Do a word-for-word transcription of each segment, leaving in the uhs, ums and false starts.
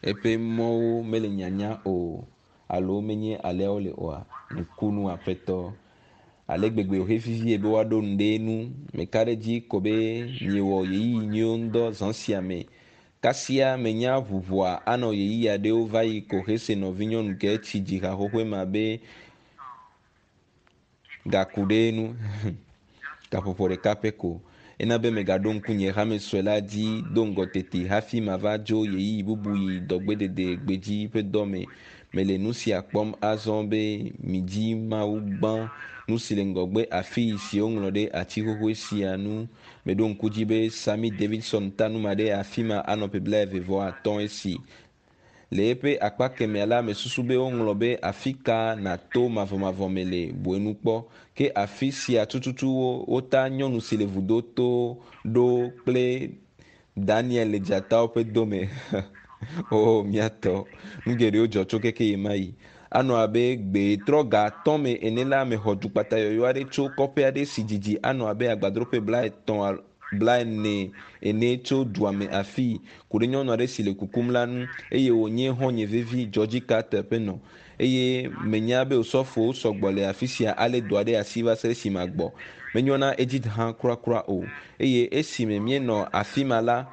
Eƒe mɔwo mele nyanya o alo menye alea wole oa. Nukunu aƒetɔ. Ale gbegbe wòhe vivie be woaɖo nu ɖe nu. Meka ɖe dzi ko be miewɔ ɣeyiɣi nyuiwo ŋudɔ zã sia me. Kasia menya ʋuʋua anɔ ɣeyiɣi aɖewo va yi ko hese nɔvinyɔnu ke tsi dzi ha xoxoe ma be gaku ɖe nu. Gaƒoƒo ɖeka pɛ ko. Ena be megaɖo ŋku nye hame sue la dzi do ŋgɔ tete hafi mava dzo ɣeyiɣi bubu yi dɔgbedede gbedzi ƒe dɔ me. Mele nu sia kpɔm azɔ be midzi Mawu gbã nu si le ŋgɔgbe afi si woŋlɔ ɖe ati xoxoe sia nu. Meɖo ŋku dzi be Sammy Davidson ta nu ma ɖe afi ma anɔ ƒe blaeve vɔ atɔ̃ esi. Le eƒe akpa kemɛa la, mesusu be woŋlɔ be afi ka nàto mavɔmavɔ me le buenu kpɔ. Ke afi sia tututu wota nyɔnu si le vudo to ɖo kple Daniel le dzatawo ƒe dome. O míatɔ, nu geɖewo dzɔ tso keke yi ma yi. Anɔ abe gbe trɔ ga atɔ̃ me ene la, mexɔ dukpata yɔyɔ aɖe tso kɔƒe aɖe si dzidzi anɔ abe agbadroƒe blaetɔ̃ blaene ene tso dua me afii ku ɖe nyɔnu aɖe si le kukum la ŋu eye wònye xɔ̃nye vevi Georgie Carter ƒe nɔ. Eye menya be osɔfowo sɔgbɔ le afi sia ale dɔ aɖe asi va se ɖe esime gbɔ. Menyɔna Edith hã kurakura o. Eye esime míenɔ afi ma la,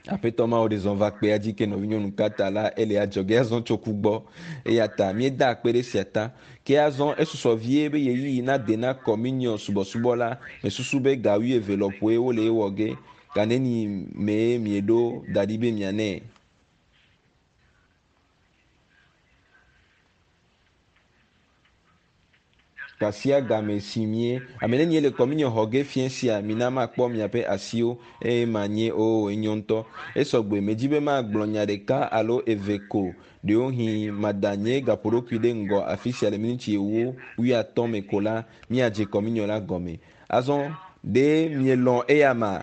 aƒetɔ mawo ɖe zɔ va kpea dzi ke nɔvinyɔnu Carter la ele adzɔge azɔ tso ku gbɔ. Eya ta míeda akpe ɖe sia ta. Ke azɔ esusɔ vie be ɣeyiɣi nade na communion subɔsubɔ la, mesusu be ga wuieve lɔƒoe wole ewɔ ge. Ga neni mee mieɖo da ɖi be mianɛ? Kasia game si mie. Ame nenie le communion xɔ ge fiẽ sia, mina makpɔ miaƒe asiwo eye manye o enyo ŋutɔ. Esɔgbe medzi be magblɔ nya ɖeka alo eve ko. Ɖewohĩ mada nye gaƒoɖokui ɖe ŋgɔ afi sia le miniti ewo wuiatɔ̃ me ko la, míadze communion la gɔme. Azɔ ɖe mielɔ̃ eya ma?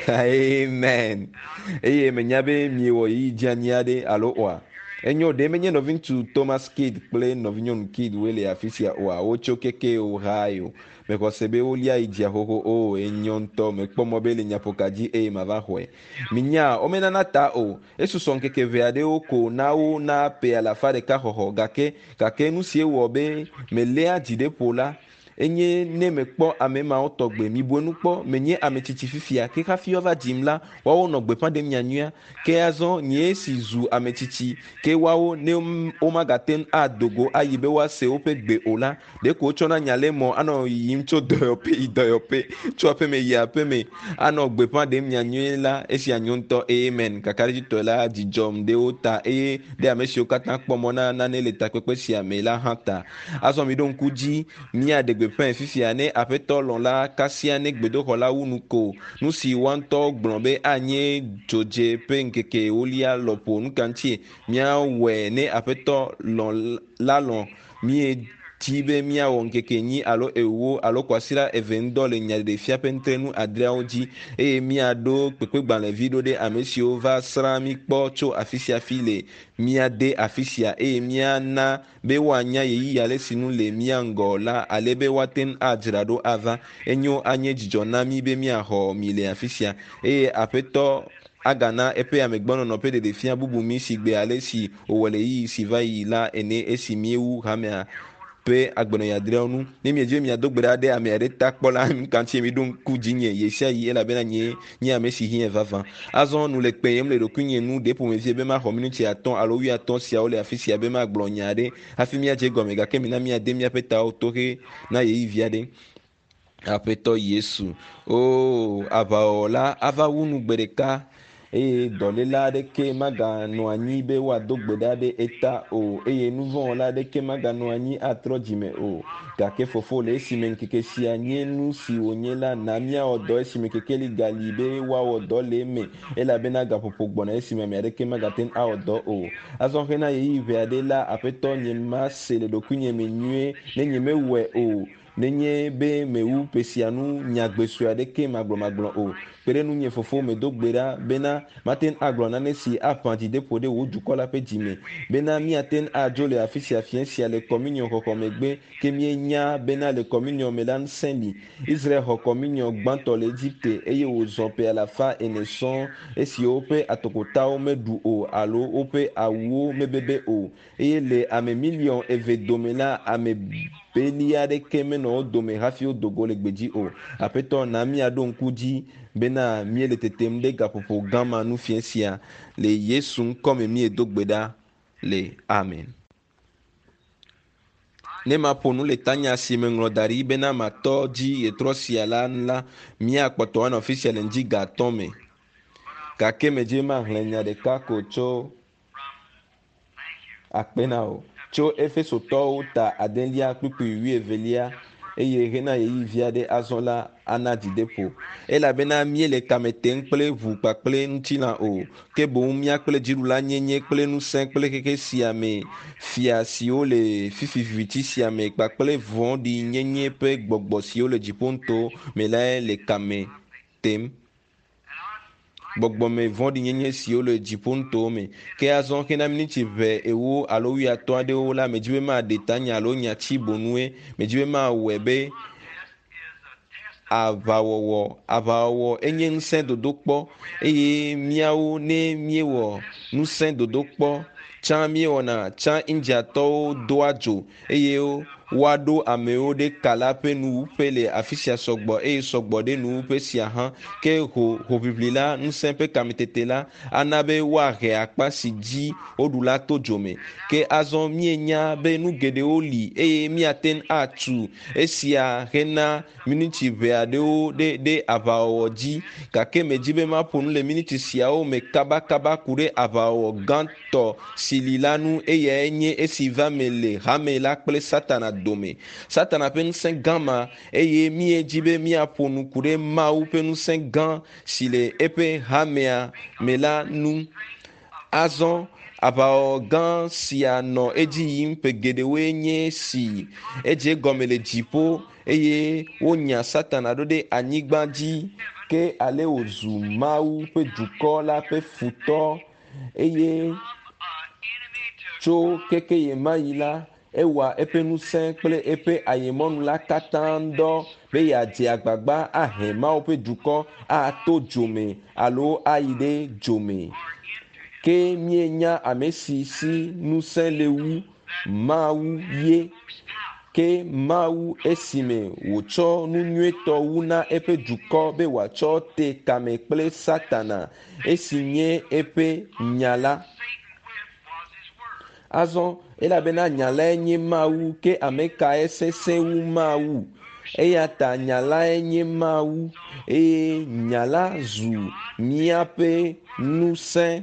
Amen. Eye menya be miewɔ ɣeyiɣi dzeanyi aɖe alo oa? Enyo ɖe menye nɔviŋutsu Thomas Kidd kple nɔvinyɔnu Kidd woe le afi sia oa? Wotso keke Ohio. Mexɔ se be wolia yi dzia xoxo o. Enyo ŋutɔ. Mekpɔ mɔ be le nyaƒoka dzi eye mava xɔe. Minya womenana ta o. Esusɔ ŋkeke eve aɖewo ko na wo na ƒe alafa ɖeka xɔxɔ gake gake nu si ewɔ be meléa dzi ɖe ƒo la enye ne mekpɔ ame mawo tɔgbe. Mibu enu kpɔ, menye ame tsitsi fifia ke hafi woava dzim la, woawo nɔ gbeƒã ɖem nyanyuia. Ke azɔ nye si zu ame tsitsi ke woawo ne womagate ŋu ado go ayi be woase woƒe gbe o la, ɖeko wotsɔna nya le mɔ anɔ yiyim tso dɔyɔƒe yi dɔyɔƒe, tso aƒeme yi aƒeme anɔ gbeƒã ɖem nyanyuie la. Esia nyo ŋutɔ. Amen. Kakaɖedzitɔe la, dzidzɔm ɖe wo ta eye ɖe ame siwo katã kpɔ mɔ na nane le takpekpe sia me la hã ta. Azɔ miɖo ŋku dzi míaɖe gbeƒãe fifia ne aƒetɔ lɔ̃ la kasia ne gbedoxɔ la wu nu ko. Nu si woa ŋutɔ gblɔ be anye dzodze ƒe ŋkeke ewolia lɔƒo. Nu ka ŋutie míawɔe ne aƒetɔ lɔ̃ la lɔ̃ míedzi be míawɔ ŋkeke enyi alo ewo alo kwasiɖa eve ŋudɔ le nyaɖeɖefia ƒe nutrenu adreawo dzi eye míaɖo kpekpegbalẽvi ɖo ɖe ame siwo va srã mí kpɔ tso afi sia afi le míade afi sia eye míana be woanya ɣeyiɣi ale si nu le mía ŋgɔ la ale be woate ŋu adzra ɖo ava. Enyo anye dzidzɔ na mí be míaxɔ mi le afi sia eye aƒetɔ agana eƒe amegbɔnɔnɔ ƒe ɖeɖefia bubu mí si gbe ale si wòwɔ le ɣeyiɣi si va yi la ene esi míewu hamea ƒe agbenɔɣi adreawo nu. Ne miedzi be miado gbe ɖa ɖe ame aɖe ta kpɔ la, nu ka ŋutie miɖo ŋku dzinye ɣe sia ɣi elabena nye nye ame si hiã vavã. Azɔ nu le kpeyem le ɖokuinye nu ɖe ƒomevie be maxɔ minuti atɔ̃ alo wuiatɔ̃ siawo le afi sia be magblɔ nya aɖe hafi míadze gɔme gake mina míade míaƒe tawo to he na ɣeyiɣi vi aɖe. Aƒetɔ Yesu, o aʋawɔla ava wu nu gbe ɖeka eye dɔléla aɖeke maganɔ anyi be woado gbe ɖa ɖe eta o eye nuvɔ̃wɔla aɖeke maganɔ anyi atrɔ dzime o. Gake fofo le esime ŋkeke sia nye nu si wònye la, na míawɔ dɔ esime kekeli gali be woawɔ dɔ le eme elabena gaƒoƒo gbɔna esime ame aɖeke magate ŋu awɔ dɔ o. Azɔ hena ɣeyiɣi ʋɛ aɖe la, aƒetɔ nye mase le ɖokuinye me nyuie ne nyemewɔe o. Nenye be mewu ƒe sia nu nyagbe sue aɖeke magblɔmagblɔ o. Kpe ɖe nunye fofo medo gbe ɖa bena mate ŋu agblɔ nane si aƒã dzideƒo ɖe wò dukɔ la ƒe dzime bena míate ŋu adzo le afi sia fiẽ sia le kɔminiɔ xɔxɔ megbe ke míenya bena le kɔminiɔ me la ŋusẽ li. Israel xɔ kɔminiɔ gbãtɔ le Egipte eye wòzɔ ƒe alafa ene sɔŋ esi woƒe atokotawo meɖu o alo woƒe awuwo mebebe o eye le ame miliɔn eve dome la ame beli aɖeke menɔ wo dome hafi wodo go le gbedzi o. Aƒetɔ na míaɖo ŋku dzi bena míele tetem ɖe gaƒoƒo gã ma nu fiẽ sia le Yesu ŋkɔme míedo gbe ɖa le amen. Ne maƒo nu le tanya si meŋlɔ da ɖi bena matɔ dzi ɣetrɔ sia la nu la, míakpɔtɔ anɔ afi sia le ŋdi ga atɔ̃ me. Gake medze maxlẽ nya ɖeka ko tso akpe na wò tso Efesotɔwo ta adelia kpukpui wuievelia eye hena ɣeyiɣi vi aɖe azɔ la ana dzideƒo. Elabena míele kame tem kple ʋu kpakple ŋutilã o, ke boŋ mía kple dziɖulanyenye kple ŋusẽ kple xexe sia me fia siwo le fifi viviti sia me kpakple vɔ̃ɖinyenye ƒe gbɔgbɔ siwo le dziƒonuto me lae le kame tem. Gbɔgbɔme vɔ̃ɖinyenye siwo le dziƒonutowo me. Ke azɔ hena miniti ʋɛ ewo alo wuiatɔ̃ aɖewo la, medzi be maɖe tanya alo nyatsi bonue. Medzi be mawɔe be aʋawɔwɔ aʋawɔwɔ enye ŋusẽ dodokpɔ eye míawo ne míewɔ ŋusẽ dodokpɔ tsã míewɔna tsã Indiatɔwo doa dzo eye woaɖo amewo ɖe ka la ƒe nuwuƒe le afi sia sɔgbɔ eye sɔgbɔ ɖe nuwuƒe sia hã. Ke ho hoʋiʋli la ŋusẽ ƒe kametete la ana be woahe akpa si dzi woɖu la to dzome. Ke azɔ míenya be nu geɖewo li eye míate ŋu atu esia hena miniti ʋɛ aɖewo ɖe ɖe aʋawɔwɔ dzi. Gake medzi be maƒo nu le miniti siawo me kabakaba ku ɖe aʋawɔwɔ gãtɔ si li la nu eyae nye esi va me le hame la kple Satana dome. Satana ƒe ŋusẽ gã ma eye míedzi be míaƒo nu ku ɖe Mawu ƒe ŋusẽ gã si le eƒe hamea me la nu. Azɔ aʋawɔwɔ gã sia nɔ edzi yim ƒe geɖewoe nye si edze gɔme le dziƒo eye wonya Satana ɖo ɖe anyigba dzi ke ale wòzu Mawu ƒe dukɔ la ƒe futɔ eye tso keke ɣe ma ɣi la ewɔa eƒe ŋusẽ kple eƒe ayemɔnu la katã ŋdɔ be yeadze agbagba ahe Mawu ƒe dukɔ ato dzome alo ayi ɖe dzome. Ke míenya ame si si ŋusẽ le wu Mawu ye. Ke Mawu esime wòtsɔ nu nyuietɔ wu na eƒe dukɔ be wòatsɔ te kame kple Satana esi nye eƒe nya la. Azɔ elabena nya lae nye Mawu ke ame kae sesẽ wu Mawu? Eya ta nya lae nye Mawu eye nya la zu míaƒe ŋusẽ.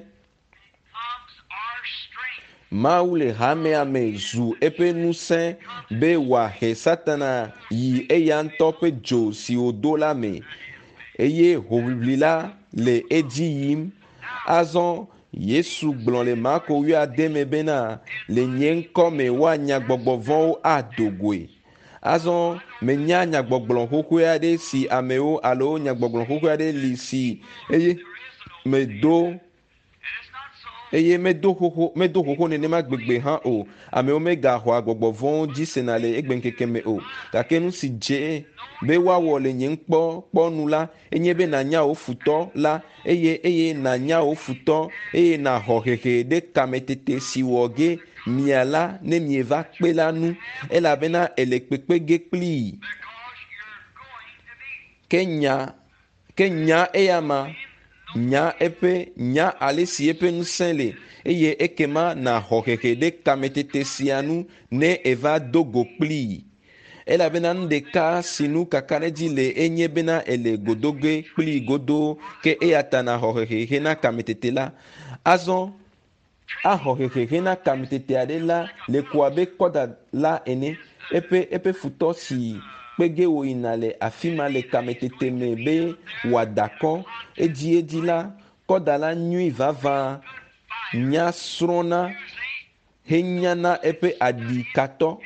Mawu le hamea me zu eƒe ŋusẽ be wòahe Satana yi eya ŋutɔ ƒe dzo si wòdo la me eye hoʋiʋli la le edzi yim. Azɔ Yesu gblɔ le Marko wuiade me bena le nye ŋkɔ me woanya gbɔgbɔ vɔ̃wo ado goe. Azɔ menya nyagbɔgblɔ xoxoe aɖe si amewo alo nyagbɔgblɔ xoxoe aɖe li si eye medo eye medo xoxo medo xoxo nenema gbegbe hã o. Amewo megaxɔa gbɔgbɔ vɔ̃wo dzi sena le egbeŋkeke me o. Gake nu si dze be woawɔ le nye ŋkpɔkpɔnu la enye be nànya wò futɔ la eye eye nànya wò futɔ eye nàxɔ hehe ɖe kametete si wɔ ge mia la ne mieva kpe la nu elabena ele kpekpe ge kplii. Ke nya ke nya eya ma nya eƒe nya ale si eƒe ŋusẽ le eye ekema nàxɔ hehe ɖe kametete sia nu ne eva do go kplii. Elabena nu ɖeka si nu kakaɖedzi le enye bena ele godoge kplii godoo ke eya ta nàxɔ hehe hena kametete la. Azɔ axɔ hehe hena kametete aɖe la le ko abe kɔda la ene. Eƒe eƒe futɔ si kpe ge wòyina le afi ma le kametete me be wòada kɔ edziedzi la, kɔda la nyui vavã nya srɔ̃na henyana eƒe aɖikatɔ.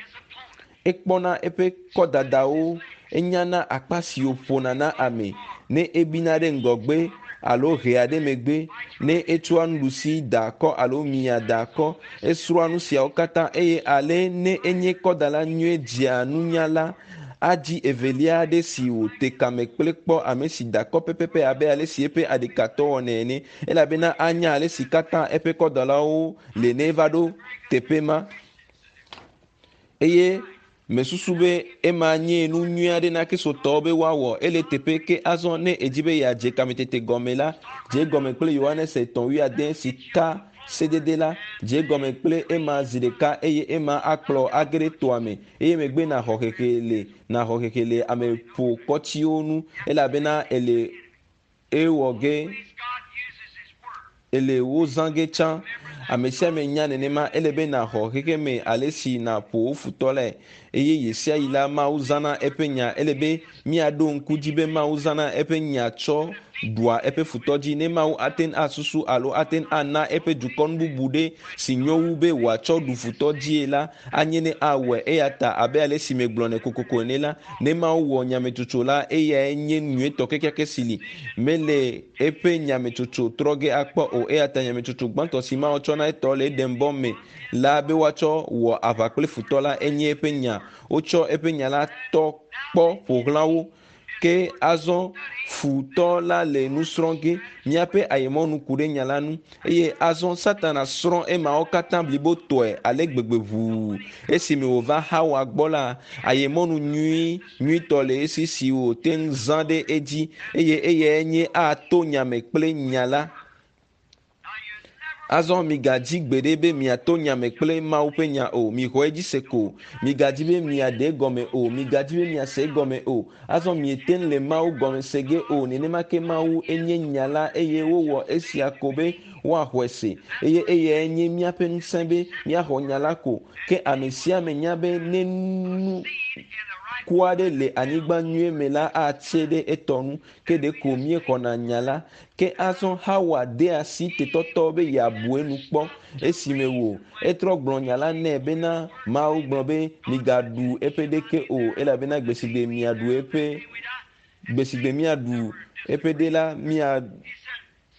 Ekpɔna eƒe kɔdadawo, enyana akpa si wòƒona na ame. Ne ebina ɖe ŋgɔgbe alo hea ɖe megbe, ne etsɔa nuɖusi da akɔ alo mia da akɔ, esrɔ̃a nu siawo katã eye ale ne enye kɔdala nyuie dzea nunya la, adzi evelia aɖe si wòte kame kple kpɔ ame si da akɔ pɛpɛpɛ abe ale si eƒe aɖikatɔ wɔnɛ ene elabena anya ale si katã eƒe kɔdalawo le ne eva ɖo teƒe ma. Eye mesusu be ema nye nu nyui aɖe na kristotɔwo be woawɔ ele teƒe ke azɔ ne edzi be yeadze kametete gɔme la, dze gɔme kple Yohanes etɔ̃ wuiade si ka sedede la, dze gɔme kple ema zi ɖeka eye ema akplɔ age ɖe toa me eye megbe naxɔ hehe le naxɔ hehe le ameƒokɔtsiwo nu elabena ele ewɔ ge ele wo zã ge tsã. Ame sia ame nya nenema ele be naxɔ xexeme ale si naƒo wo futɔ lae eye ɣe sia ɣi la Mawu zãna eƒe nya. Ele be míaɖo ŋku dzi be Mawu zãna eƒe nya tsɔ ɖua eƒe futɔ dzi. Ne Mawu ate ŋu asusu alo ate ŋu ana eƒe dukɔ nu bubu ɖe si nyo wu be wòatsɔ ɖu futɔ dzie la, anye ne awɔe. Eya ta abe ale si megblɔnɛ kokoko ene la, ne Mawu wɔ nyametsotso la, eyae nye nyuietɔ kekeake si li. Mele eƒe nyametsotso trɔ ge akpɔ o. Eya ta nyametsotso gbãtɔ si Mawu tsɔna etɔ le Edenbɔ me la be woatsɔ wɔ aʋa kple futɔ la enye eƒe nya. Wotsɔ eƒe nya la tɔ kpɔ ƒo xlã wo. Ke azɔ futɔ la le nu srɔ̃ ge. Míaƒe ayemɔnu ku ɖe nya la ŋu eye azɔ Satana srɔ̃ emawo katã blibotɔe ale gbegbe ʋuu. Esime wòva Hawa gbɔ la, ayemɔnu nyui nyuitɔ le esi si wòte ŋu zã ɖe edzi eye eyae nye ato nyame kple nya la. Azɔ migadzi gbeɖe be miato nyame kple Mawu ƒe nya o. Mixɔ edzi se ko. Migadzi be miaɖe gɔme o. Migadzi be miase gɔme o. Azɔ miete ŋu le Mawu gɔme se ge o. Nenema ke Mawu enye nya la eye wowɔ esia ko be woaxɔe se. Eye eyae nye míaƒe ŋusẽ be míaxɔ nya la ko. Ke ame sia ame nya be ne nu ku aɖe le anyigba nyuie me la atse ɖe etɔ nu. Ke ɖeko míexɔna nya la. Ke azɔ Hawa de asi tetɔtɔ be yeabu enu kpɔ esime wò etrɔ gblɔ nya la nɛ bena Mawu gblɔ be migaɖu eƒe ɖeke o elabena gbe si gbe miaɖu eƒe gbe si gbe miaɖu eƒe ɖe la mia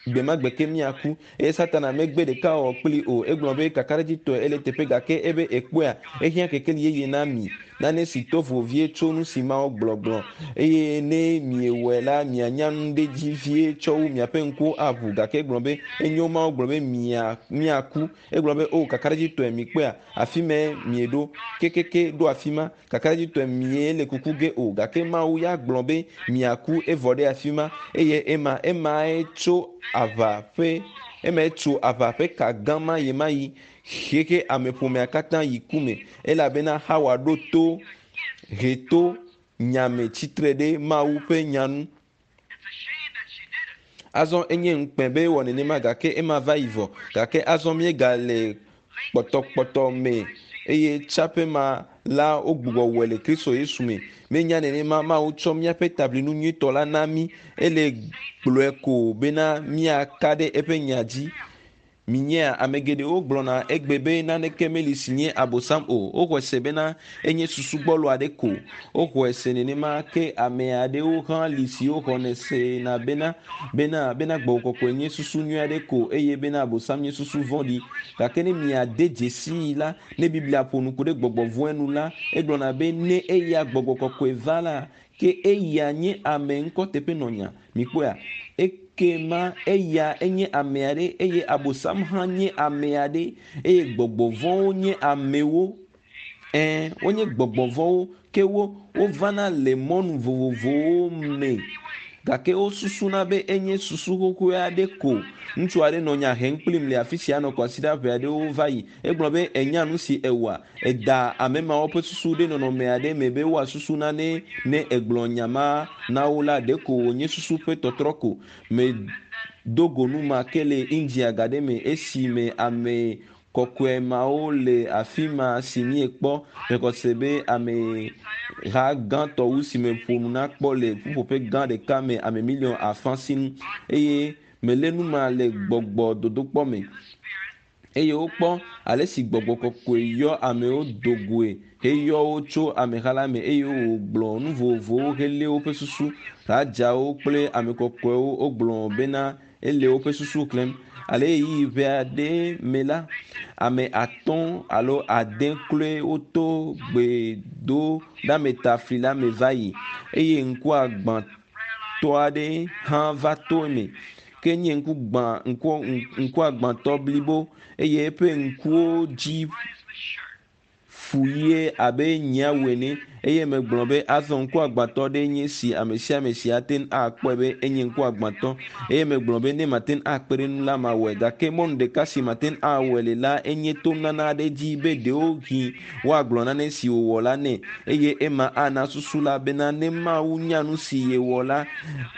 gbe ma gbe ke miaku. Eye Satana megbe ɖeka wɔ kpli o. Egblɔ be kakaɖedzitɔe ele teƒe gake ebe ekpɔea ehiã kekeli yeye na mi. Nane si to vovo vie tso nu si Mawu gblɔgblɔ eye ne miewɔe la mianya nu ɖe dzi vie tsɔ wu miaƒe ŋkuwo aʋu. Gake egblɔ be enyo Mawu gblɔ be mia miaku. Egblɔ be o kakaɖedzitɔe mikpɔea afi me mieɖo kekeke ɖo afi ma. Kakaɖedzitɔe mie le kuku ge o. Gake Mawu ya gblɔ be miaku evɔ ɖe afi ma eye ema emae tso aʋa ƒe emae tso aʋa ƒe ka gã ma yi ma yi xexe ameƒomea katã yi ku me elabena Hawa ɖo to he to nyame tsitre ɖe Mawu ƒe nya nu. Azɔ enye ŋukpe be ewɔ nenema gake ema va yi vɔ. Gake azɔ míegale kpɔtɔkpɔtɔ me eye tsaƒe ma la wogbugbɔ wɔe le Kristo Yesu me. Menya nenema Mawu tsɔ míaƒe tablinu nyuitɔ la na mí. Ele gblɔe ko bena míaka ɖe eƒe nya dzi. Minyea ame geɖewo gblɔna egbe be naneke meli si nye abosam o. Woxɔe se bena enye susu gbɔlo aɖe ko. Woxɔe se nenema ke ame aɖewo hã li siwo xɔnɛ sena bena bena bena gbɔgbɔ kɔkɔe nye susu nyui aɖe ko eye bena abosam nye susu vɔ̃ɖi. Gake ne miade dzesii la, ne Biblia ƒo nu ku ɖe gbɔgbɔ vɔ̃e nu la, egblɔna be ne eya gbɔgbɔ kɔkɔe va la, ke eya nye ame ŋkɔteƒenɔnya. Mikpɔea? Ekema eya enye ame aɖe eye abosam hã nye ame aɖe eye gbɔgbɔ vɔ̃wo nye amewo. Ɛ̃, wonye gbɔgbɔ vɔ̃wo ke wo wovana le mɔnu vovovowo me. Gake wosusuna be enye susu xoxoe aɖe ko. Ŋutsu aɖe nɔ nya hem kplim le afi sia nɔ kwasiɖa ʋɛ aɖewo va yi. Egblɔ be enya nu si ewɔa, eda ame mawo ƒe susu ɖe nɔnɔme aɖe me be woasusu nane ne egblɔ nya ma na wo la ɖeko wònye susu ƒe tɔtrɔ ko. Medo go nu ma ke le India ga ɖe me esime ame kɔkɔe mawo le afi ma si míekpɔ. Mexɔ se be ameha gãtɔ wu si me ƒo nu na kpɔ le ƒuƒoƒe gã ɖeka me ame miliɔn afã sinu eye melé nu ma le gbɔgbɔ dodokpɔ me. Eye wokpɔ ale si gbɔgbɔ kɔkɔe yɔ amewo do goe heyɔ wo tso ameha la me eye wògblɔ nu vovovowo helé woƒe susu. Radzawo kple ame kɔkɔewo wogblɔ bena ele woƒe susu xlẽm. Ale ɣeyiɣi ʋɛ aɖe me la, ame atɔ̃ alo ade kloe woto gbedoɖametafli la me va yi eye ŋkuagbãtɔ aɖe hã va to eme. Ke nye ŋku gbã ŋku ŋkuagbãtɔ blibo eye eƒe ŋkuwo dzi fu ɣie abe nyiawu ene eye megblɔ be azɔ ŋkuagbãtɔ ɖe nye si ame sia ame si ate ŋu akpɔe be enye ŋkuagbãtɔ eye megblɔ be ne mate ŋu akpe ɖe nu la mawɔe gake mɔnu ɖeka si mate ŋu awɔe le la enye to nana aɖe dzi be ɖewohĩ woagblɔ nane si wòwɔ la nɛ eye ema ana susu la bena ne Mawu nya nu si yewɔ la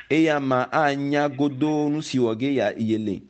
eya ma anya godoo nu si wɔ ge ya yele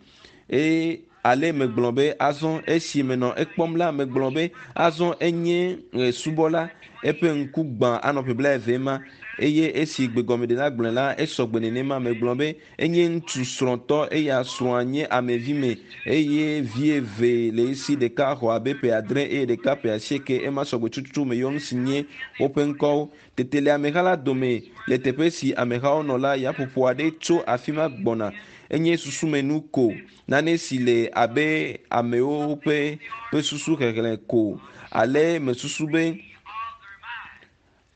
eye ale megblɔ be azɔ esi menɔ ekpɔm la megblɔ be azɔ enye e, subɔla eƒe ŋku gbã anɔ ƒe blaeve ma eye esi gbegɔmeɖela gblɔe la esɔgbe nenema megblɔ be enye ŋutsu srɔ̃tɔ eya srɔ̃a nye amevi me eye vi eve le esi ɖeka xɔ abe ƒe adre eye ɖeka ƒe asieke ema sɔgbe tututu meyɔ nu si nye woƒe ŋkɔwo tete le ameha la dome le teƒe si amehawo nɔ la yaƒoƒo aɖe tso afi ma gbɔna enye susumenu ko nane si le abe amewo ƒe ƒe susu xexlẽ ko ale mesusu be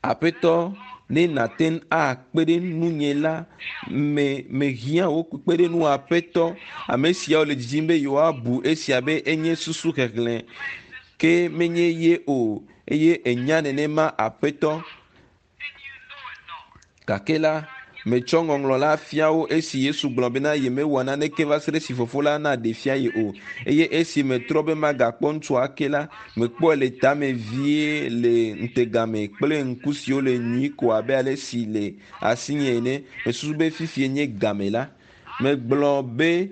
aƒetɔ ne nate ŋu akpe ɖe nunye la me mehiã wo kpekpe ɖe nu aƒetɔ ame siawo le didim be yewoabu esia be enye susu xexlẽ ke menye ye o eye enya nenema aƒetɔ gake la metsɔ ŋɔŋlɔ la fia wo esi Yesu gblɔ bena yemewɔ naneke va se ɖe esi fofo la naɖe fia ye o eye esi metrɔ be magakpɔ ŋutsua ake la mekpɔe le tame vie le ŋutegame kple ŋku siwo le nyui ko abe ale si le asinye ene mesusu be fifie nye game la megblɔ be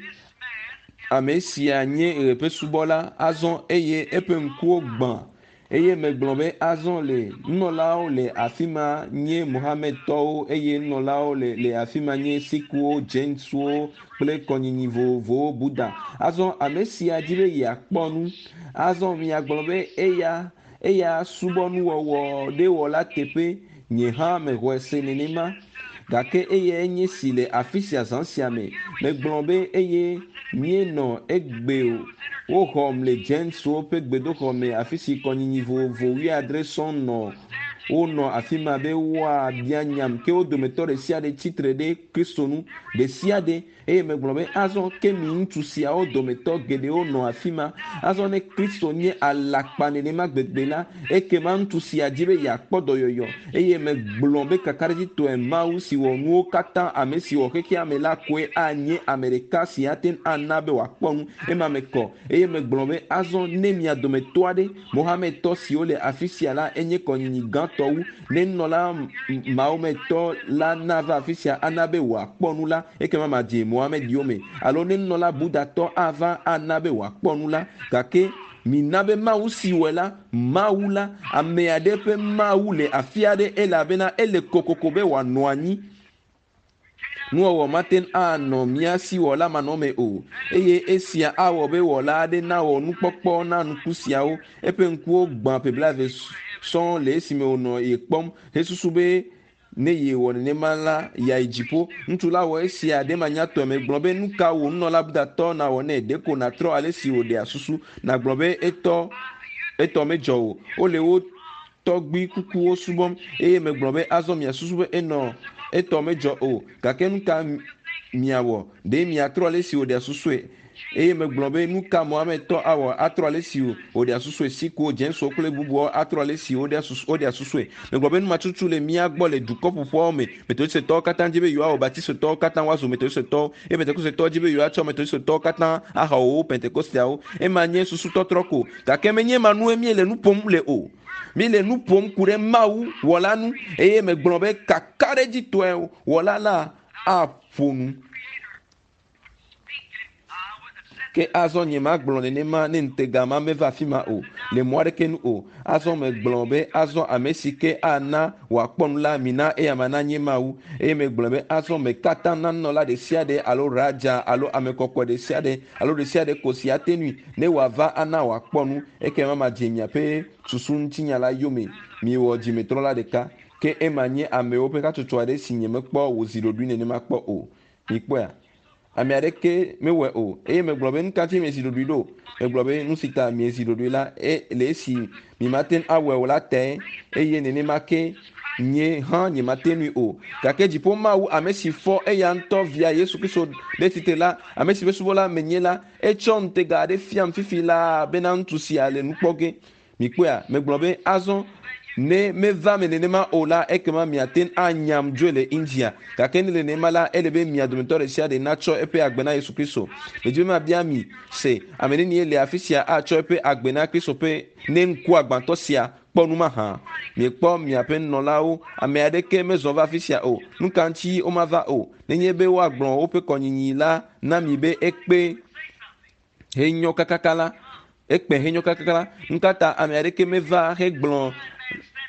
ame sia nye ɣe ƒe subɔla azɔ eye eƒe ŋkuwo gbã eye megblɔ be azɔ le nunɔlawo le afi ma nye Mohamedtɔwo eye nunɔlawo le le afi ma nye Sikwo, Jainwo kple kɔnyinyi vovovowo Buddha. Azɔ ame sia di be yeakpɔ nu. Azɔ miagblɔ be eya eya subɔ nuwɔwɔ ɖe wɔla teƒe nye hã mexɔe se nenema gake eyae nye si le afi sia zã sia me megblɔ be eye míenɔ egbe o woxɔm le Jainswo ƒe gbedoxɔ me afi si kɔnyinyi vovovo wuiadre sɔŋ nɔ wonɔ afi ma be woabia nyam ke wo dometɔ ɖe sia ɖe tsitre ɖe Kristo nu ɖe sia ɖe eye megblɔ be azɔ ke mi ŋutsu siawo dometɔ geɖewo nɔ afi ma azɔ ne Kristo nye alakpa nenema gbegbe la ekema ŋutsu sia dzi be yeakpɔ dɔyɔyɔ eye megblɔ be kakaɖedzitɔe Mawu si wɔ nuwo katã ame si wɔ xexea me la koe anye ame ɖeka si ate ŋu ana be wòakpɔ nu ema me kɔ eye megblɔ be azɔ ne mia dometɔ aɖe Mohamedtɔ siwo le afi sia la enye kɔnyinyi gãtɔ wu ne nunɔla Mahometɔ la nava afi sia ana be wòakpɔ nu la ekema madze Mohamed yome alo ne nunɔla Buddhatɔ ava ana be wòakpɔ nu la gake mina be Mawu si wɔe la Mawu la ame aɖe ƒe Mawu le afi aɖe elabena ele kokoko be wòanɔ anyi nuwɔwɔ mate ŋu anɔ mía si wɔla manɔme o eye esia awɔ be wɔla aɖe nawɔ nukpɔkpɔ na nuku siawo eƒe ŋkuwo gbã ƒe blaeve sɔŋ le esime wònɔ ye kpɔm hesusu be ne yewɔ nenema la yeayi dziƒo ŋutsu la wɔ esia ɖe manyatɔe megblɔ be nu ka wò nunɔla Buddhatɔ nawɔ nɛ ɖeko nàtrɔ ale si wòɖea susu nàgblɔ be etɔ etɔ medzɔ o wole wo tɔgbui kukuwo subɔm eye megblɔ be azɔ miasusu be enɔ etɔ medzɔ o gake nu ka miawɔ ɖe miatrɔ ale si wòɖea susue eye megblɔ be nu ka Mohamedtɔ awɔ atrɔ ale si wòɖea susue Sikwo, Jainswo kple bubuawo atrɔ ale si woɖea susu woɖea susue megblɔ be numatutu le mía gbɔ le dukɔ ƒoƒuawo me Metodistetɔwo katã dzi be yewoawɔ Baptistɔwo katã woazu Metodistetɔwo eye Pentekostetɔwo dzi be yewoatsɔ Metodistetɔwo katã axɔ wo Pentekosteawo ema nye susu tɔtrɔ ko gake menye ma nue míele nu ƒom le o míele nu ƒom ku ɖe Mawu wɔla nu eye megblɔ be kakaɖedzitɔe wɔla la aƒo nu. Speak it, I would have said Ke azɔ nye magblɔ nenema ne ŋutega ma meva afi ma o le mɔ aɖeke nu o. Azɔ megblɔ be azɔ ame si ke ana wòakpɔ nu la mina eya ma nanye Mawu. Eye megblɔ be azɔ me katã nanɔla ɖe sia ɖe alo raja alo ame kɔkɔe ɖe sia ɖe alo ɖe sia ɖe ko si ate nui ne wòava ana wòakpɔ nu ekema madze miaƒe susu ŋutinya la yome. Miwɔ dzimetrɔla ɖeka. Ke ema nye amewo ƒe hatsotso aɖe si nye mekpɔ wòzi ɖoɖoe nenema kpɔ o. Mikpɔea? Ame aɖeke mewɔe o. Eye megblɔ be nu ka ŋuti miezi ɖoɖoe ɖo? Megblɔ be nu si ta miezi ɖoɖoe la e le esi mimate ŋu awɔe o la tae eye nenema ke nye hã nyemate ŋui o. Gake dziƒo Mawu ame si fɔ eya ŋutɔ via Yesu Kristo ɖe tsitre la, ame si ƒe subɔla menye la, etsɔ ŋutega aɖe fiam fifi laa bena ŋutsu sia le nu kpɔ ge. Mikpɔea? Megblɔ be azɔ ne meva me nenema o la ekema miate ŋu anyam dzoe le India. Gake ne le nenema la ele be mia dometɔ ɖe sia ɖe natsɔ eƒe agbe na Yesu Kristo. Medzi be mabia mi se ame nenie le afi sia atsɔ eƒe agbe na Kristo ƒe ne ŋku agbãtɔ sia kpɔ nu mahã. Miekpɔ miaƒe nunɔlawo, ame aɖeke mezɔ va afi sia o. Nu ka ŋuti womava o? Nenye be woagblɔ woƒe kɔnyinyi la na mi be ekpe henyɔ kakaka la, ekpe henyɔ kakaka la, nu ka ta ame aɖeke meva hegblɔ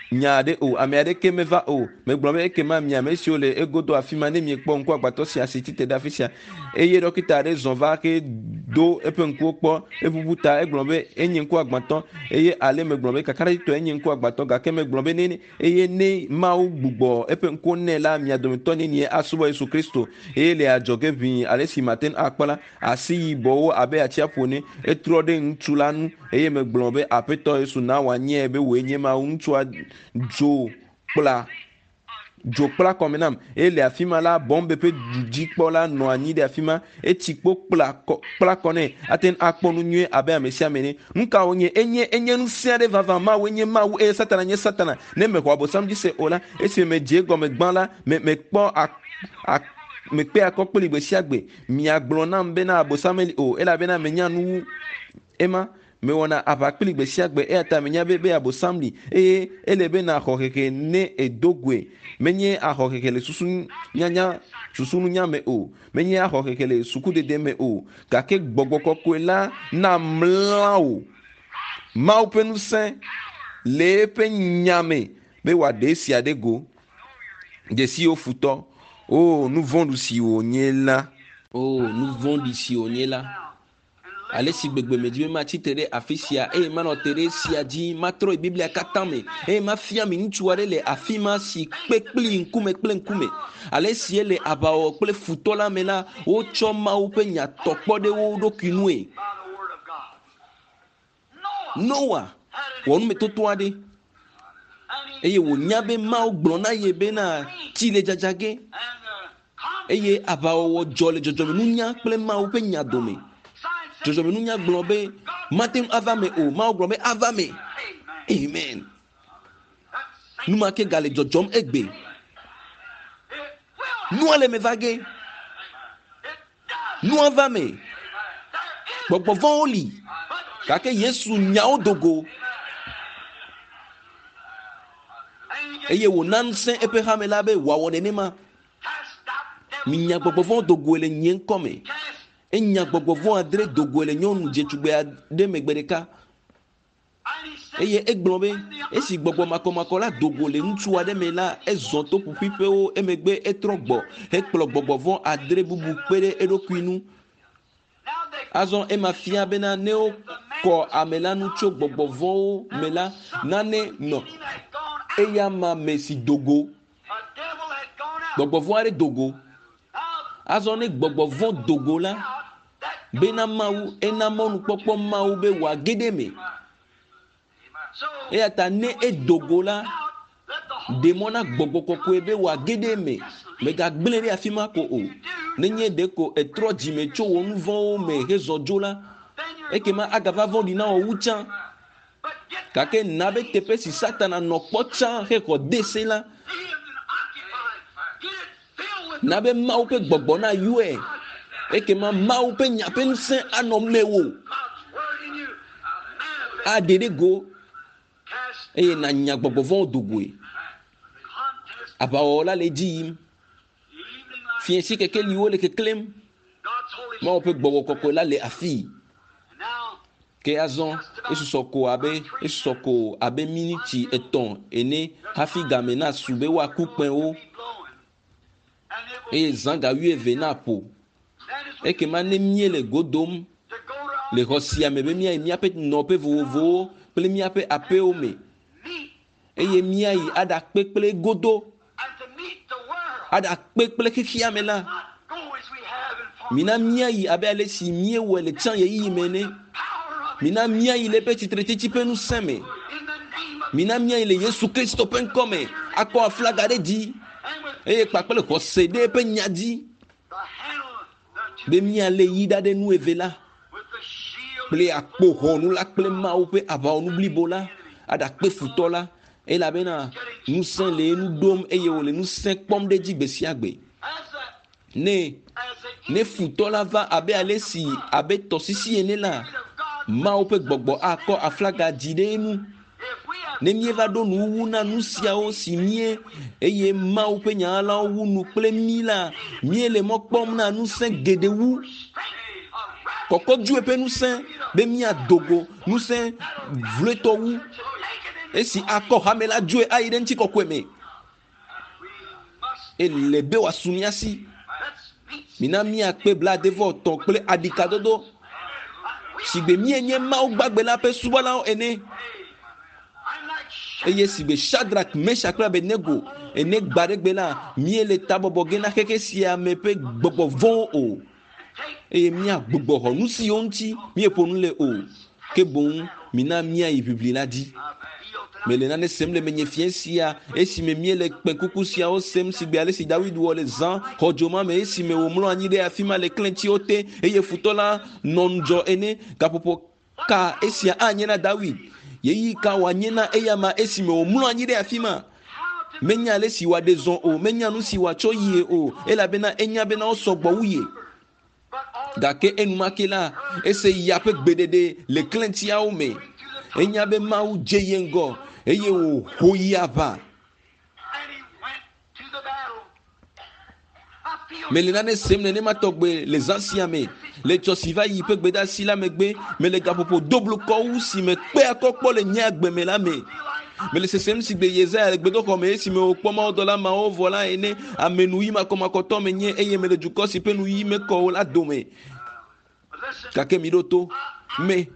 nya aɖe o, ame aɖeke meva o. Megblɔ be ekema mi ame siwo le egodo afi ma ne miekpɔ ŋku agbatɔ sia si tsitre ɖe afi sia eye ɖɔkita aɖe zɔ va ke do eƒe ŋkuwo kpɔ eʋuʋu ta egblɔ be enye ŋku agbatɔ eye ale megblɔ be kakaɖedzitɔe enye ŋku agbatɔ gake megblɔ be ne eye ne Mawu gbugbɔ eƒe ŋkuwo nɛ la mia dometɔ nenie asubɔ Yesu Kristo eye le adzɔge ʋĩi ale si mate ŋu akpɔ la asi yibɔwo abe atsiaƒu ene etrɔ ɖe ŋutsu la ŋu eye megblɔ be Aƒetɔ Yesu na wòanyae be wòe nye Mawu. Ŋutsua dzo kpla dzo kpla kɔme nam eye le afi ma la Bɔmbe ƒe dudzikpɔla nɔ anyi ɖe afi ma etsi kpo kpla kɔ kpla kɔ nɛ ate ŋu akpɔ nu nyuie abe ame sia ame ene. Nu ka wònye? Enye enye ŋusẽ aɖe vavã. Mawu enye Mawu eye Satana nye Satana. Ne mexɔ Abosam dzi se o la esime medze egɔme gbã la me mekpɔ a a mekpe akɔ kpli gbe sia gbe. Miagblɔ nam bena Abosam meli o elabena menya nu wu ema. Mewɔna aʋa kpli gbe sia gbe eya ta menya be be Abosam li eye ele be naxɔ hehe ne edo goe. Menye axɔ hehe le susu nyanya susununya me o. Menye axɔ hehe le sukudede me o. Gake gbɔgbɔ kɔkɔe la na mlã wò. Mawu ƒe ŋusẽ le eƒe nya me be wòaɖe esia ɖe go. Dzesiwo futɔ. O nu vɔ̃ɖi si wònye la. O nu vɔ̃ɖi si wònye la. Ale si gbegbe medzi be matsi te ɖe afi sia eye manɔ te ɖe esia dzi matrɔ yi Biblia katã me eye mafia mi ŋutsu aɖe le afi ma si kpe kpli ŋkume kple ŋkume. Ale si ele aʋawɔwɔ kple futɔ la me la wotsɔ Mawu ƒe nya tɔ kpɔ ɖe wo ɖokui nue. Noa wɔ numetoto aɖe eye wònya be Mawu gblɔ na ye bena tsi le dzadza ge eye aʋawɔwɔ dzɔ le dzɔdzɔmenunya kple Mawu ƒe nya dome. Dzɔdzɔmenunya gblɔ be mate ŋu ava me o. Mawu gblɔ be ava me. Amen. Nu ma ke gale dzɔdzɔm egbe. Nua le me va ge. Nua va me. Gbɔgbɔ vɔ̃wo li. Gake Yesu nya wo do go. Eye wòna ŋusẽ eƒe hame la be wòawɔ nenema. Minya gbɔgbɔ vɔ̃wo do goe le nye ŋkɔ me. Enya gbɔgbɔ vɔ̃ adre do goe le nyɔnu dzetugbe aɖe megbe ɖeka. Eye egblɔ be esi gbɔgbɔ makɔmakɔ la do go le ŋutsu aɖe me la ezɔ to ƒuƒuiƒewo emegbe etrɔ gbɔ hekplɔ gbɔgbɔ vɔ̃ adre bubu kpe ɖe eɖokui ŋu. Azɔ ema fia bena ne wokɔ ame la nu tso gbɔgbɔ vɔ̃wo me la nane nɔ eya ma me si do go. Gbɔgbɔ vɔ̃ aɖe do go. Azɔ ne gbɔgbɔ vɔ̃ do go la bena Mawu ena mɔnukpɔkpɔ Mawu be wòage ɖe eme. Eya ta ne edo go la ɖe mɔ na gbɔgbɔ kɔkɔe be wòage ɖe eme. Megagblẽ ɖe afi ma ko o. Nenye ɖe ko etrɔ dzime tso wò nu vɔ̃wo me hezɔ dzo la ekema agava vɔ̃ɖi na wò wu tsã. Gake na be teƒe si Satana nɔ kpɔ tsã hexɔ de se la na be Mawu ƒe gbɔgbɔ na yɔe. Ekema Mawu ƒe nya ƒe ŋusẽ anɔ mewò. Aɖe ɖe go eye nanya gbɔgbɔ vɔ̃wo do goe. Aʋawɔwɔ la le edzi yim. Fiẽsi kekeliwo le keklẽm. Mawu ƒe gbɔgbɔ kɔkɔe la le afii. Ke azɔ esusɔ ko abe esusɔ ko abe miniti etɔ̃ ene hafi game nasu be woaku kpẽwo eye zã ga wuieve naƒo. Ekema ne míele go dom le xɔ sia me be míayi míaƒe nɔƒe vovovowo kple míaƒe aƒewo me eye míayi aɖakpe kple godo aɖakpe kple xexea me la, mina míayi abe ale si míewɔe le tsã ɣeyiɣi me ene. Mina míayi le eƒe tsitretsetsi ƒe ŋusẽ me. Mina míayi le Yesu Kristo ƒe ŋkɔ me akɔ aflaga ɖe dzi eye kpakple xɔse ɖe eƒe nya dzi be míalé yi ɖa ɖe nu eve la kple akpoxɔnu la kple Mawu ƒe aʋawɔnu blibo la aɖakpe futɔ la elabena ŋusẽ le enu ɖom eye wòle ŋusẽ kpɔm ɖe edzi gbe sia gbe. Ne ne futɔ la va abe ale si abe tɔsisi ene la, Mawu ƒe gbɔgbɔ akɔ aflaga dzi ɖe enu. Ne míeva ɖo nuwuwu na nu siawo si mie eye Mawu ƒe nya la wu nu kple mí la, míele mɔ kpɔm na ŋusẽ geɖe wu. Kɔkɔdzoe ƒe ŋusẽ be míado go ŋusẽ vloetɔ wu esi akɔ hame la dzoe ayi ɖe ŋutikɔkɔe me. Ele be wòasu mía si. Mina míakpe blaadevɔ-etɔ̃ kple aɖikadodo sigbe míenye Mawu gbagbe la ƒe subɔlawo ene. Eye sigbe Shadrach, Meshach kple Abednego ene gbaɖegbe la, míele tabɔbɔ ge na xexe sia me ƒe gbɔgbɔ vɔ̃wo o. Eye míagbugbɔ xɔ nu siwo ŋuti míeƒo nu le o. Ke boŋ mina míayi ʋiʋli la dzi. Mele nane sem le menye fiẽ sia esime míele kpẽkuku siawo sem sigbe ale si Dawid wɔ le zã xɔdzo ma me esime wòmlɔ anyi ɖe afi ma le klẽtsiwo te eye futɔ la nɔ ŋudzɔ ene. Gaƒoƒo ka esia anye na Dawid? Ɣeyiɣi ka wòanye na eyama esime wòmlɔ anyi ɖe afi ma? Menya ale si wòaɖe zɔ o, menya nu si wòatsɔ yie o, elabena enya bena wosɔ gbɔ wu ye. Gake enumake la, ese ya ƒe gbeɖeɖe le klẽtsiawo me. Enya be Mawu dze ye ŋgɔ eye wòho yi aʋa. Mele nane sem nenema tɔgbe le zã sia me. Le tsɔ si va yi ƒe gbedeasi la megbe, mele gaƒoƒo doblukɔwu si me kpe akɔ kpɔ le nye agbe me la me. Mele sesem sigbe Yesaya le gbedoxɔ me esime wòkpɔ mawudɔla mawo vɔ la ene. Ame nuyi makɔmakɔtɔ menye eye mele dukɔ si ƒe nuyi mekɔ o la dome. Gake mi ɖo to me.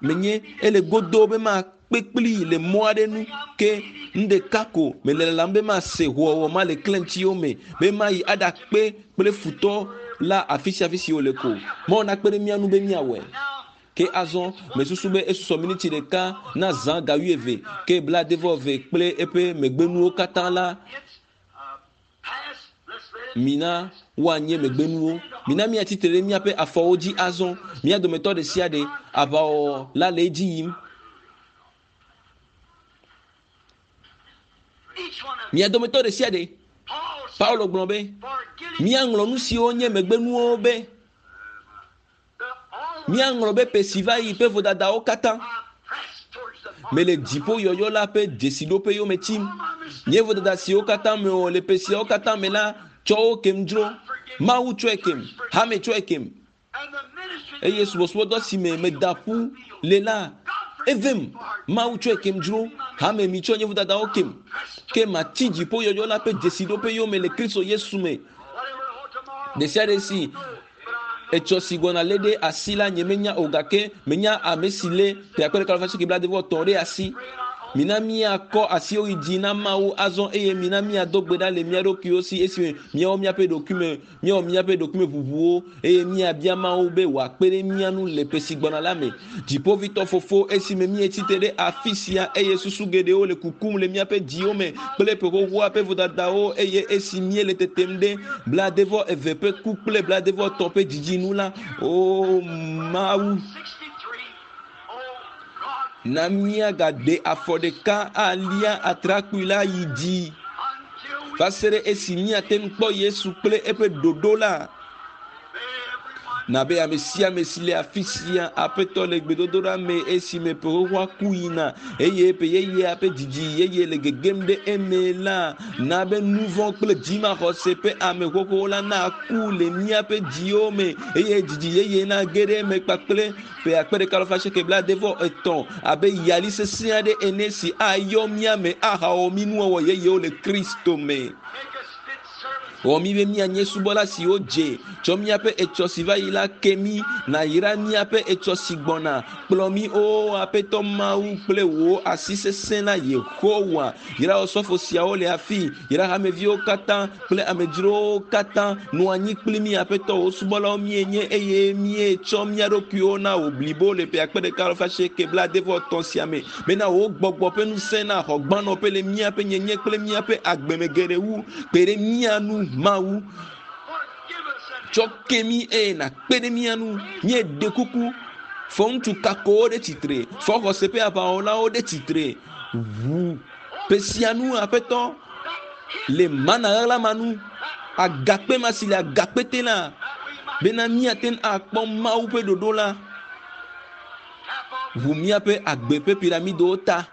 Menye ele godo be makpe kpli le mɔ aɖe nu ke nu ɖeka ko mele lalam be mase hoowɔwɔ ma le klẽtsiwo me be mayi aɖakpe kple futɔ la afi sia afi si wòle ko. Mawu nakpe ɖe mía ŋu be míawɔe. Ke azɔ mesusu be esusɔ miniti ɖeka na zã ga wuieve ke blaadevɔ-eve kple eƒe megbenuwo katã la mina woanye megbenuwo. Mina míatsi tre ɖe míaƒe afɔwo dzi azɔ. Mía dometɔ ɖe sia ɖe aʋawɔwɔ la le edzi yim. Mía dometɔ ɖe sia ɖe. Paulo gblɔ be míaŋlɔ nu siwo nye megbenuwo be míaŋlɔ be ƒe si va yi ƒe vodadawo katã. Mele dziƒo yɔyɔ la ƒe dzesiɖoƒe yome tsim. Nye vodada siwo katã mewɔ le ƒe siawo katã me la tsɔ wo kem dzro. Mawu tsɔe kem, hame tsɔe kem. Eye subɔsubɔdɔ si me meda ƒu le la evem. Mawu tsɔe kem dzro. Hame mi tsɔ nye vodadawo kem. Ke matsi dziƒo yɔyɔ la ƒe dzesiɖoƒe yome le Kristo Yesu me. Ɖe sia ɖe si etsɔ si gbɔna lé ɖe asi la nye menya o gake menya ame si lé ƒe akpe ɖeka alafa asieke blaadre-vɔ-etɔ̃ ɖe asi. Mina míakɔ asiwo yi dzi na Mawu azɔ eye mina míado gbe ɖa le mía ɖokuiwo si esime míawɔ míaƒe ɖokuime, míawɔ míaƒe ɖokuime ʋuʋuwo eye míabia Mawu be wòakpe ɖe mía ŋu le ƒe si gbɔna la me. Dziƒovitɔ fofo esime míetsi tre ɖe afi sia eye susu geɖewo le kukum le míaƒe dziwo me kple ƒe xoxoa ƒe vodadawo eye esi míele tetem ɖe blaadre-vɔ-eve ƒe ku kple blaadre-vɔ-etɔ̃ ƒe dzidzi nu la, o Mawu, na míagaɖe afɔ ɖeka alia atrakpui la yi dzi va se ɖe esi míate ŋu kpɔ Yesu kple eƒe ɖoɖo la. Na be ame sia ame si le afi sia aƒetɔ le gbedodoɖa me esime ƒe xoxoa ku yina eye ƒe yeyea ƒe dzidzi yeye le gegem ɖe eme la na be nu vɔ̃ kple dzimaxɔse ƒe ame xoxowo la na ku le míaƒe dziwo me eye dzidzi yeye na ge ɖe eme kpakple ƒe akpe ɖeka alafa asieke blaade vɔ etɔ̃ abe yali sesẽ aɖe ene si ayɔ mía me ahawɔ mí nuwɔwɔ yeyewo le Kristo me. Make us fit servants. Wɔ mí be míanye subɔla siwo dze tsɔ míaƒe etsɔ si va yi la ke mí nayra míaƒe etsɔ si gbɔna kplɔ mí o aƒetɔ mawu kple wò asi sesẽ la yehowa yra osɔfo siawo le afi yra hameviwo katã kple amedzrowo katã nɔ anyi kpli mí aƒetɔ wò subɔlawo míenye eye míetsɔ mía ɖokuiwo na wò blibo le ƒe akpe ɖeka alafa asieke blaade vɔ etɔ̃ sia me bena wò gbɔgbɔ ƒe ŋusẽ na xɔ gbanɔƒe le míaƒe nyenye kple míaƒe agbeme geɖe wu kpe ɖe mía nu mawu Forgive us and tsɔ ke mí eye nàkpe ɖe mía nu míeɖe kuku fɔ ŋutsu kakowo ɖe tsitre fɔ xɔse ƒe aʋawɔlawo ɖe tsitre ʋu ƒe sia nu aƒetɔ le mana ɣaɣla ma nu agakpe ma si le agakpe te la that we might bena míate ŋu akpɔ mawu ƒe ɖoɖo la tap off ʋu míaƒe agbe ƒe piramidowo ta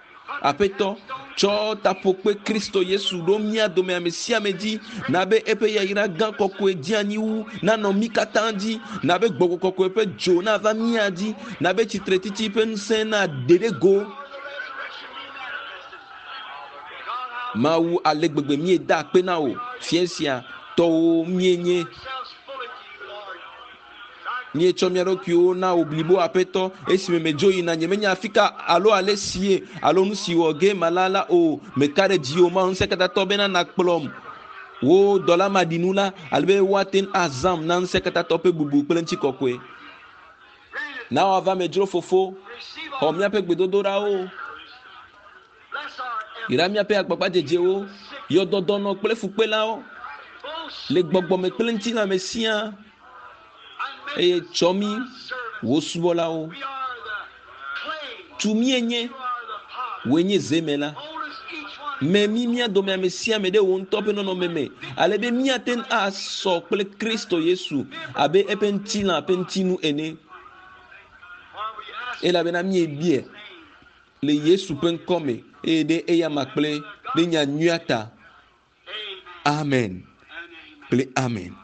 aƒetɔ tsɔ taƒokpe kristo yesu ɖo mía dome ame sia ame dzi na be eƒe yayra gã kɔkɔe dzi anyi wu nanɔ mí katã dzi na be gbɔgbɔ kɔkɔe ƒe dzo nava mía dzi na be tsitretiti ƒe ŋusẽ na ɖe ɖe go power of the resurrection be manifested. God, how mawu ale gbegbe míeda akpe na wò fia sia tɔwo míenye ourselves fully to you, Lord. Thy míetsɔ mía ɖokuiwo na wò blibo aƒetɔ esime medzo yina nyemenya afi ka alo ale sie alo nu si wɔ ge mala la o meka ɖe dziwò mawu ŋusẽkatatɔ bena nakplɔm wo dɔla maɖinu la ale be woate ŋu azãm na ŋusẽkatatɔ ƒe bubu kple ŋutikɔkɔe grant it. na woava medzro fofo Receive xɔ our míaƒe gbedodoɖawo bless our yra míaƒe agbagbadzedzewo yɔ dɔdɔnɔ kple fukpelawo both le gbɔgbɔme kple ŋutilãme siaa and make eye us tsɔ mí servants. wò subɔlawo We are the clay. tu míenye You are the potter. wòe nye zeme la Mold us each one me mí mía dome ame sia ame ɖe wò ŋutɔ ƒe nɔnɔme me ale be míate ŋu asɔ kple kristo yesu abe eƒe ŋutilã ƒe ŋutinu ene For we ask elabena míebie in name. le yesu ƒe ŋkɔ me eye ɖe eyama kple ɖe nya nyuia ta Amen amen and amen. kple amen.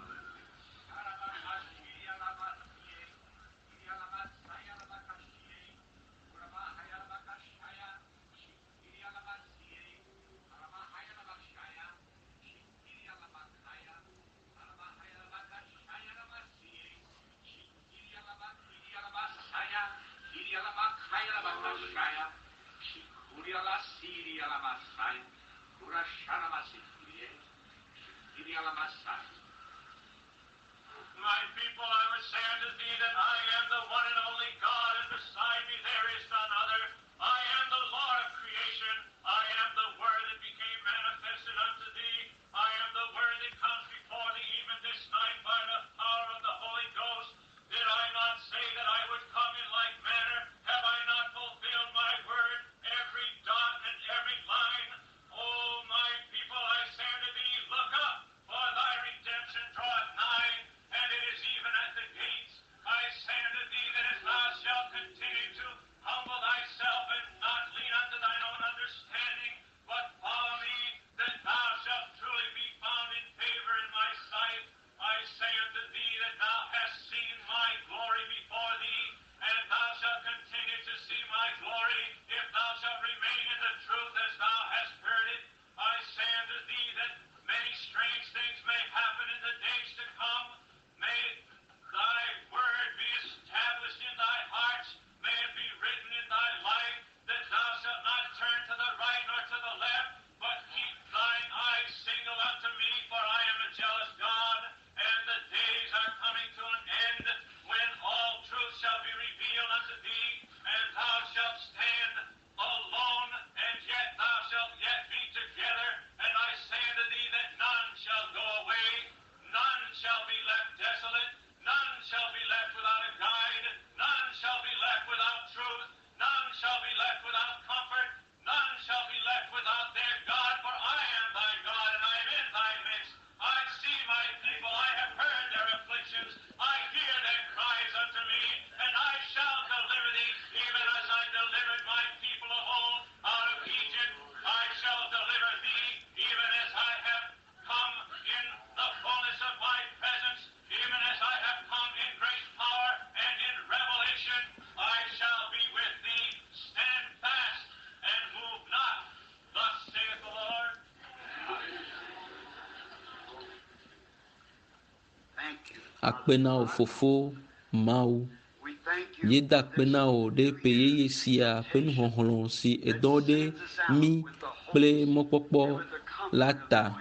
My people, I would say unto thee that I am the one and only God, and beside me there is none other. I am the Lord of creation. I am the Word that became manifested unto thee. I am the Word that comes before thee even this night by the power of the Holy Ghost. Did I not say that I would come in like manner? Have I not fulfilled my word, every dot and every line? O my people, I say unto thee, look up, for thy redemption draweth nigh, and it is even at the gates. I say unto thee that if thou shalt continue to humble thyself and not lean unto thine own understanding, but follow me, that thou shalt truly be found in favor in my sight. I say unto thee that thou hast seen my glory before thee, and thou shalt continue to see my glory, if thou shalt remain in the truth as thou hast heard it. I say unto thee that many strange things may happen in the days to come. May thy word be established in thy hearts. May it be written in thy life that thou shalt not turn to the right nor to the left, but keep thine eyes single unto me, for I am a jealous God. And the days are coming to an end when all truth shall be revealed unto thee, and thou shalt stand alone, and yet thou shalt yet be together. And I say unto thee that none shall go away, none shall be left desolate, none shall be left without a guide, none shall be left without truth, none shall be left without comfort, none shall be left without their God, for I am thy God, and I am in thy midst. I see my people, I have heard their afflictions, I hear their cries. Akpe na wò fofo Mawu. We thank you Míeda for akpe this na wò ɖe ƒe yeye sia ƒe nuxɔxlɔ̃ si edɔ ɖe that sends us mí out with the hope kple mɔkpɔkpɔ and with the comfort la of ta knowing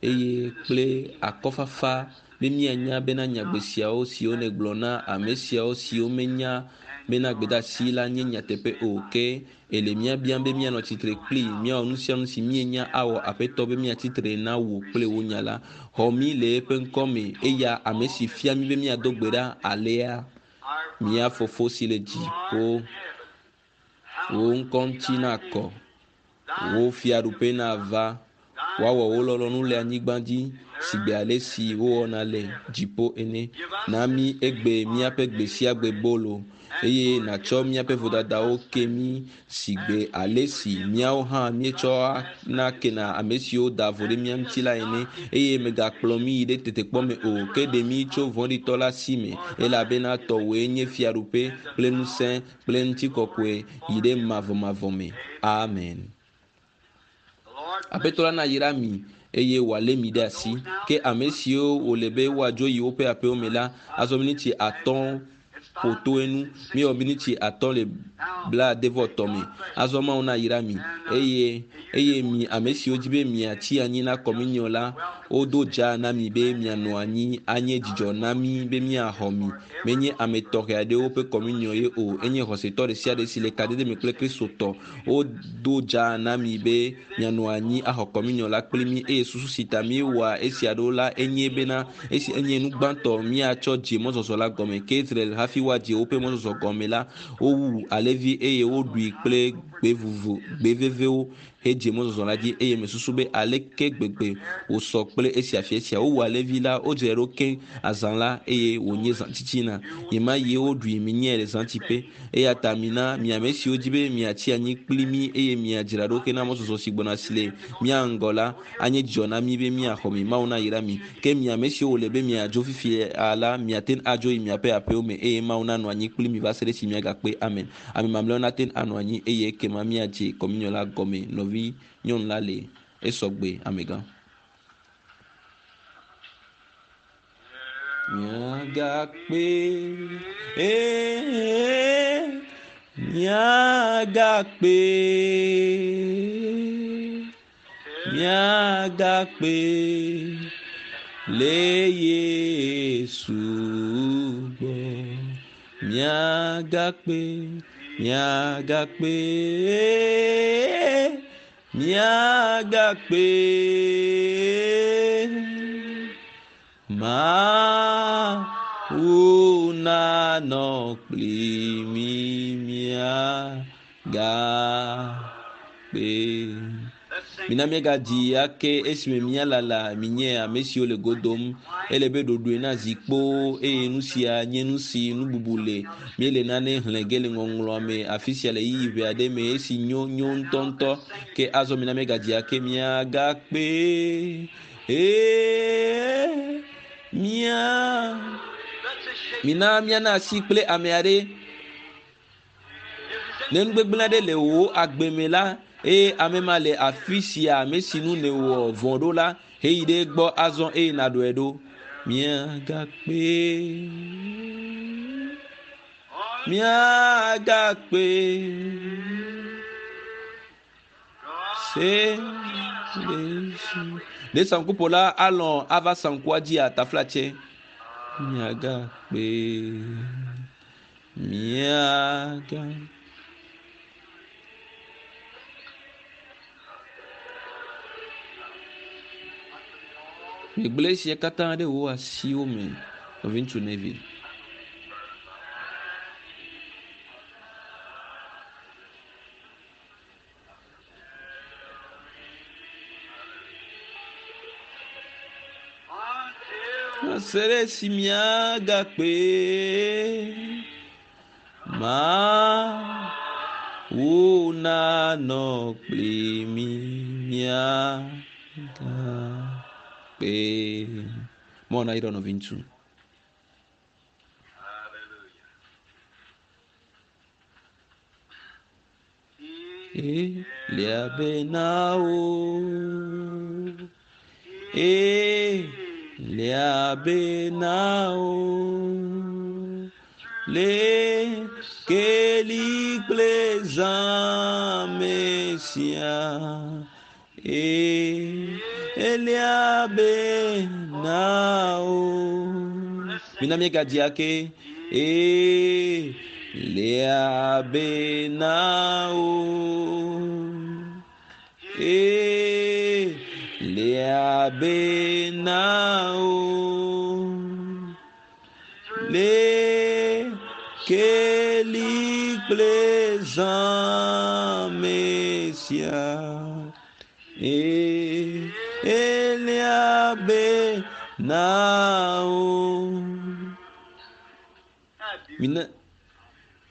eye that kple the speaking akɔfafa be míanya bena nyagbe siawo siwo nègblɔ na ame siawo siwo menya bena gbedeasi la nye nyateƒe o ke ele mía biam be míanɔ tsitre kpli míawɔ nu sia nu si míenya awɔ aƒetɔ be míatsitre na wò kple wò nya la. Xɔ mí le eƒe ŋkɔ me eya ame si fia mí be míado gbe ɖa alea. Our Mía Father fofo si le who art dziƒo, in heaven, wò hallowed ŋkɔ be ŋuti thy nakɔ, name. Thy wò kingdom fiaɖuƒe come, nava, thy woawɔ wò will lɔlɔ̃nu be le done anyigba dzi in sigbe earth ale as si it wowɔna is in le heaven. dziƒo ene. Give us Na this mí day egbe our míaƒe gbe daily sia gbe bread, bolo and eye forgive nàtsɔ us míaƒe our vodadawo ke trespasses, mí sigbe as we ale si forgive míawo those hã who míetsɔa trespass na against kena us. ame siwo da vo ɖe And mía lead ŋuti us la ene not into eye mègakplɔ mí temptation, yi ɖe tetekpɔ but me o deliver ke ɖe us mí tso from vɔ̃ɖitɔ evil. la si me For thine elabena is the tɔwòe nye kingdom, fiaɖuƒe and the kple power, ŋusẽ kple and the ŋutikɔkɔe glory yi ɖe forever. mavɔmavɔ me. Amen. Amen. The Lord Aƒetɔ bless la you. nayra mi eye wòalé mi ɖe Now asi. those now Ke that ame must siwo go wòle to be their woadzo yi woƒe aƒewo me la, nine azɔ five miniti minutes atɔ̃ after. It's ƒo five to minutes enu. at Míewɔ miniti sixty-three. atɔ̃ le Now, blaade vɔ may tɔ me. God bless Azɔ you. Mawu nayra mi And uh, eye you eye that want mi to ame stay siwo for dzi a be few minutes, miatsi anyi na you're just kɔminiɔ la, welcome to wodo stay. dza na mi be Glad to mianɔ have you. anyi anye Not dzidzɔ na mí opposed be is míaxɔ mi. for every Menye ame believer tɔxɛ aɖewo that's ƒe in kɔminiɔ ye fellowship with o. Enye Christ. xɔsetɔ ɖe sia ɖe si le You're kadede welcome me to kple stay and take Kristotɔ. communion with us. Wodo dza na mi As we be do this, mianɔ we anyi call axɔ this kɔminiɔ la kpli mí first eye thing susu si ta we're míewɔa starting here esia ɖo la as enye bena Israel esi before enye they nu started gbãtɔ their míatsɔ dze mɔzɔzɔ la gɔme. Ke Israel hafi woadze woƒe mɔzɔzɔ gɔme la, wowu alẽvi eye woɖui kple gbe vovo gbe vevewo hedze mɔzɔzɔ la dzi eye mesusu be aleke gbegbe wòsɔ kple esia fia sia. Wowu alẽvi la, wodzrae ɖo keŋ azã la eye wònye zã titina. Ɣemaɣie woɖui minyãe le zãtiƒe. Eya ta mina mi ame siwo dzi be miatsi anyi kpli mí eye miadzra ɖo hena mɔzɔzɔ si gbɔna si le mía ŋgɔ la anye dzidzɔ na mí be míaxɔ mi. Mawu nayra mi. Ke mi ame siwo wòle be miadzo fifia la, miate ŋu adzo yi miaƒe aƒewo me eye Mawu nanɔ anyi kpli mi va se ɖe esi miagakpe. Amen. Ame mamlɛawo nate ŋu anɔ anyi eye ekema míadze kɔminiɔ la gɔme. Nɔvi nyɔnu la le esɔgbe amegã. Miagakpe, ee, miagakpe, miagakpe le Yesu gbɔ. Miagakpe, miagakpe, miagakpe. Mawu nanɔ kpli mí miagakpe. Let's sing Mina this míagadzi song. ake esime míalala minye ame siwo le go dom. Ele be ɖoɖoe na zikpowo eye nu sia nye nu si nu bubu le. Míele nane xlẽ ge le ŋɔŋlɔa me afi sia le ɣeyiɣi ʋɛ aɖe me esi nyo nyo ŋutɔŋutɔ. Ke azɔ mina míagadzi ake miagakpe. Ee, mía. Let's just shake Mina míana asi kple ame aɖe. If there's Ne anything nugbegblẽ aɖe wrong le in wò your life, agbe me la, eye ame ma le afi sia ame si nu nèwɔ vɔ̃ ɖo la, heyi ɖe egbɔ azɔ eye nàɖɔe ɖo. Miagakpe, miagakpe. Se le si. Ɖe saŋkuƒola alɔ̃ ava saŋkua dzia taflatse. Miagakpe, miaga. Megblẽ esia katã ɖe wò asiwo me, nɔviŋutsu Neville. Until Se ɖe esi miagakpe. Mawu nanɔ kpli mí miagakpe. Mawu nayra nɔviŋutsu. Hallelujah. E liabe na wo. E Lia be na o. Le keli kple zã me sia. E elia be na o. Mina míegadzi ake. E lia be na o. E lia be na o. Le keli kple zã me sia. E elia be na o. Ah, beautiful. Mina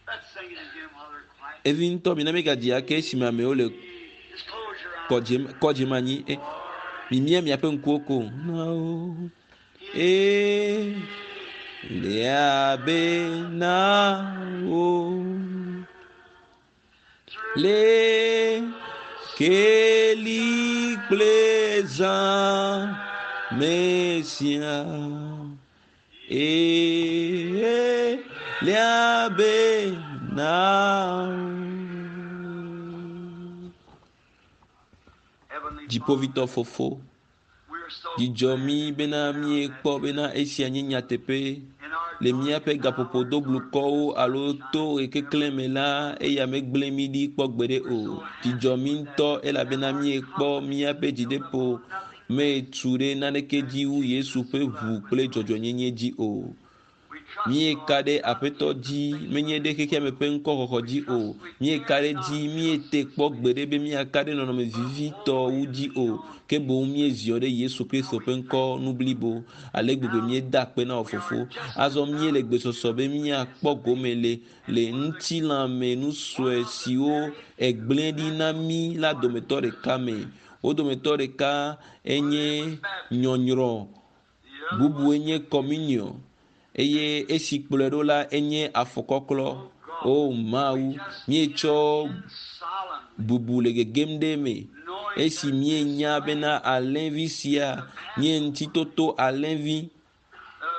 Let's sing it again while they're quiet. evi ŋutɔ mina míegadzi ake esime amewo le Just close your eyes. kɔdzi kɔdzi me anyi. E, mimia miaƒe ŋkuwo ko. Na o. E lia be na o. Le keli kple zã me sia. E lia be na o. Heavenly Dziƒovitɔ fofo, We're so dzidzɔ mí bena míekpɔ bena esia nye nyateƒe. in our Le míaƒe gaƒoƒo doblukɔwo alo to ɣekeklẽ me la, eya megblẽ mí ɖi kpɔ gbeɖe o. Dzidzɔ mí ŋutɔ elabena míekpɔ míaƒe dzideƒo metu ɖe naneke dzi wu Yesu ƒe ʋu kple dzɔdzɔenyenye dzi o. we trust Míeka ɖe Aƒetɔ dzi, menye ɖe xexeame ƒe ŋkɔxɔxɔ dzi o. Míeka ɖe dzi, míete kpɔ gbeɖe be míaka ɖe nɔnɔme vivitɔwo dzi o. Ke boŋ míeziɔ ɖe Yesu Kristo ƒe ŋkɔ nu blibo. Ale gbegbe míeda akpe na wò fofo. Azɔ míele gbesɔsɔ be míakpɔ gome le le ŋutilãme nu sue siwo egblẽ ɖi na mí la dometɔ ɖeka me. Wo dometɔ ɖeka enye nyɔnyrɔ, the other bubue nye communion eye esi kplɔe ɖo la enye afɔkɔklɔ. O Mawu, míetsɔ solemn bubu le gegem ɖe eme. knowing Esi míenya bena alẽvi sia nye ŋutitoto alẽvi the,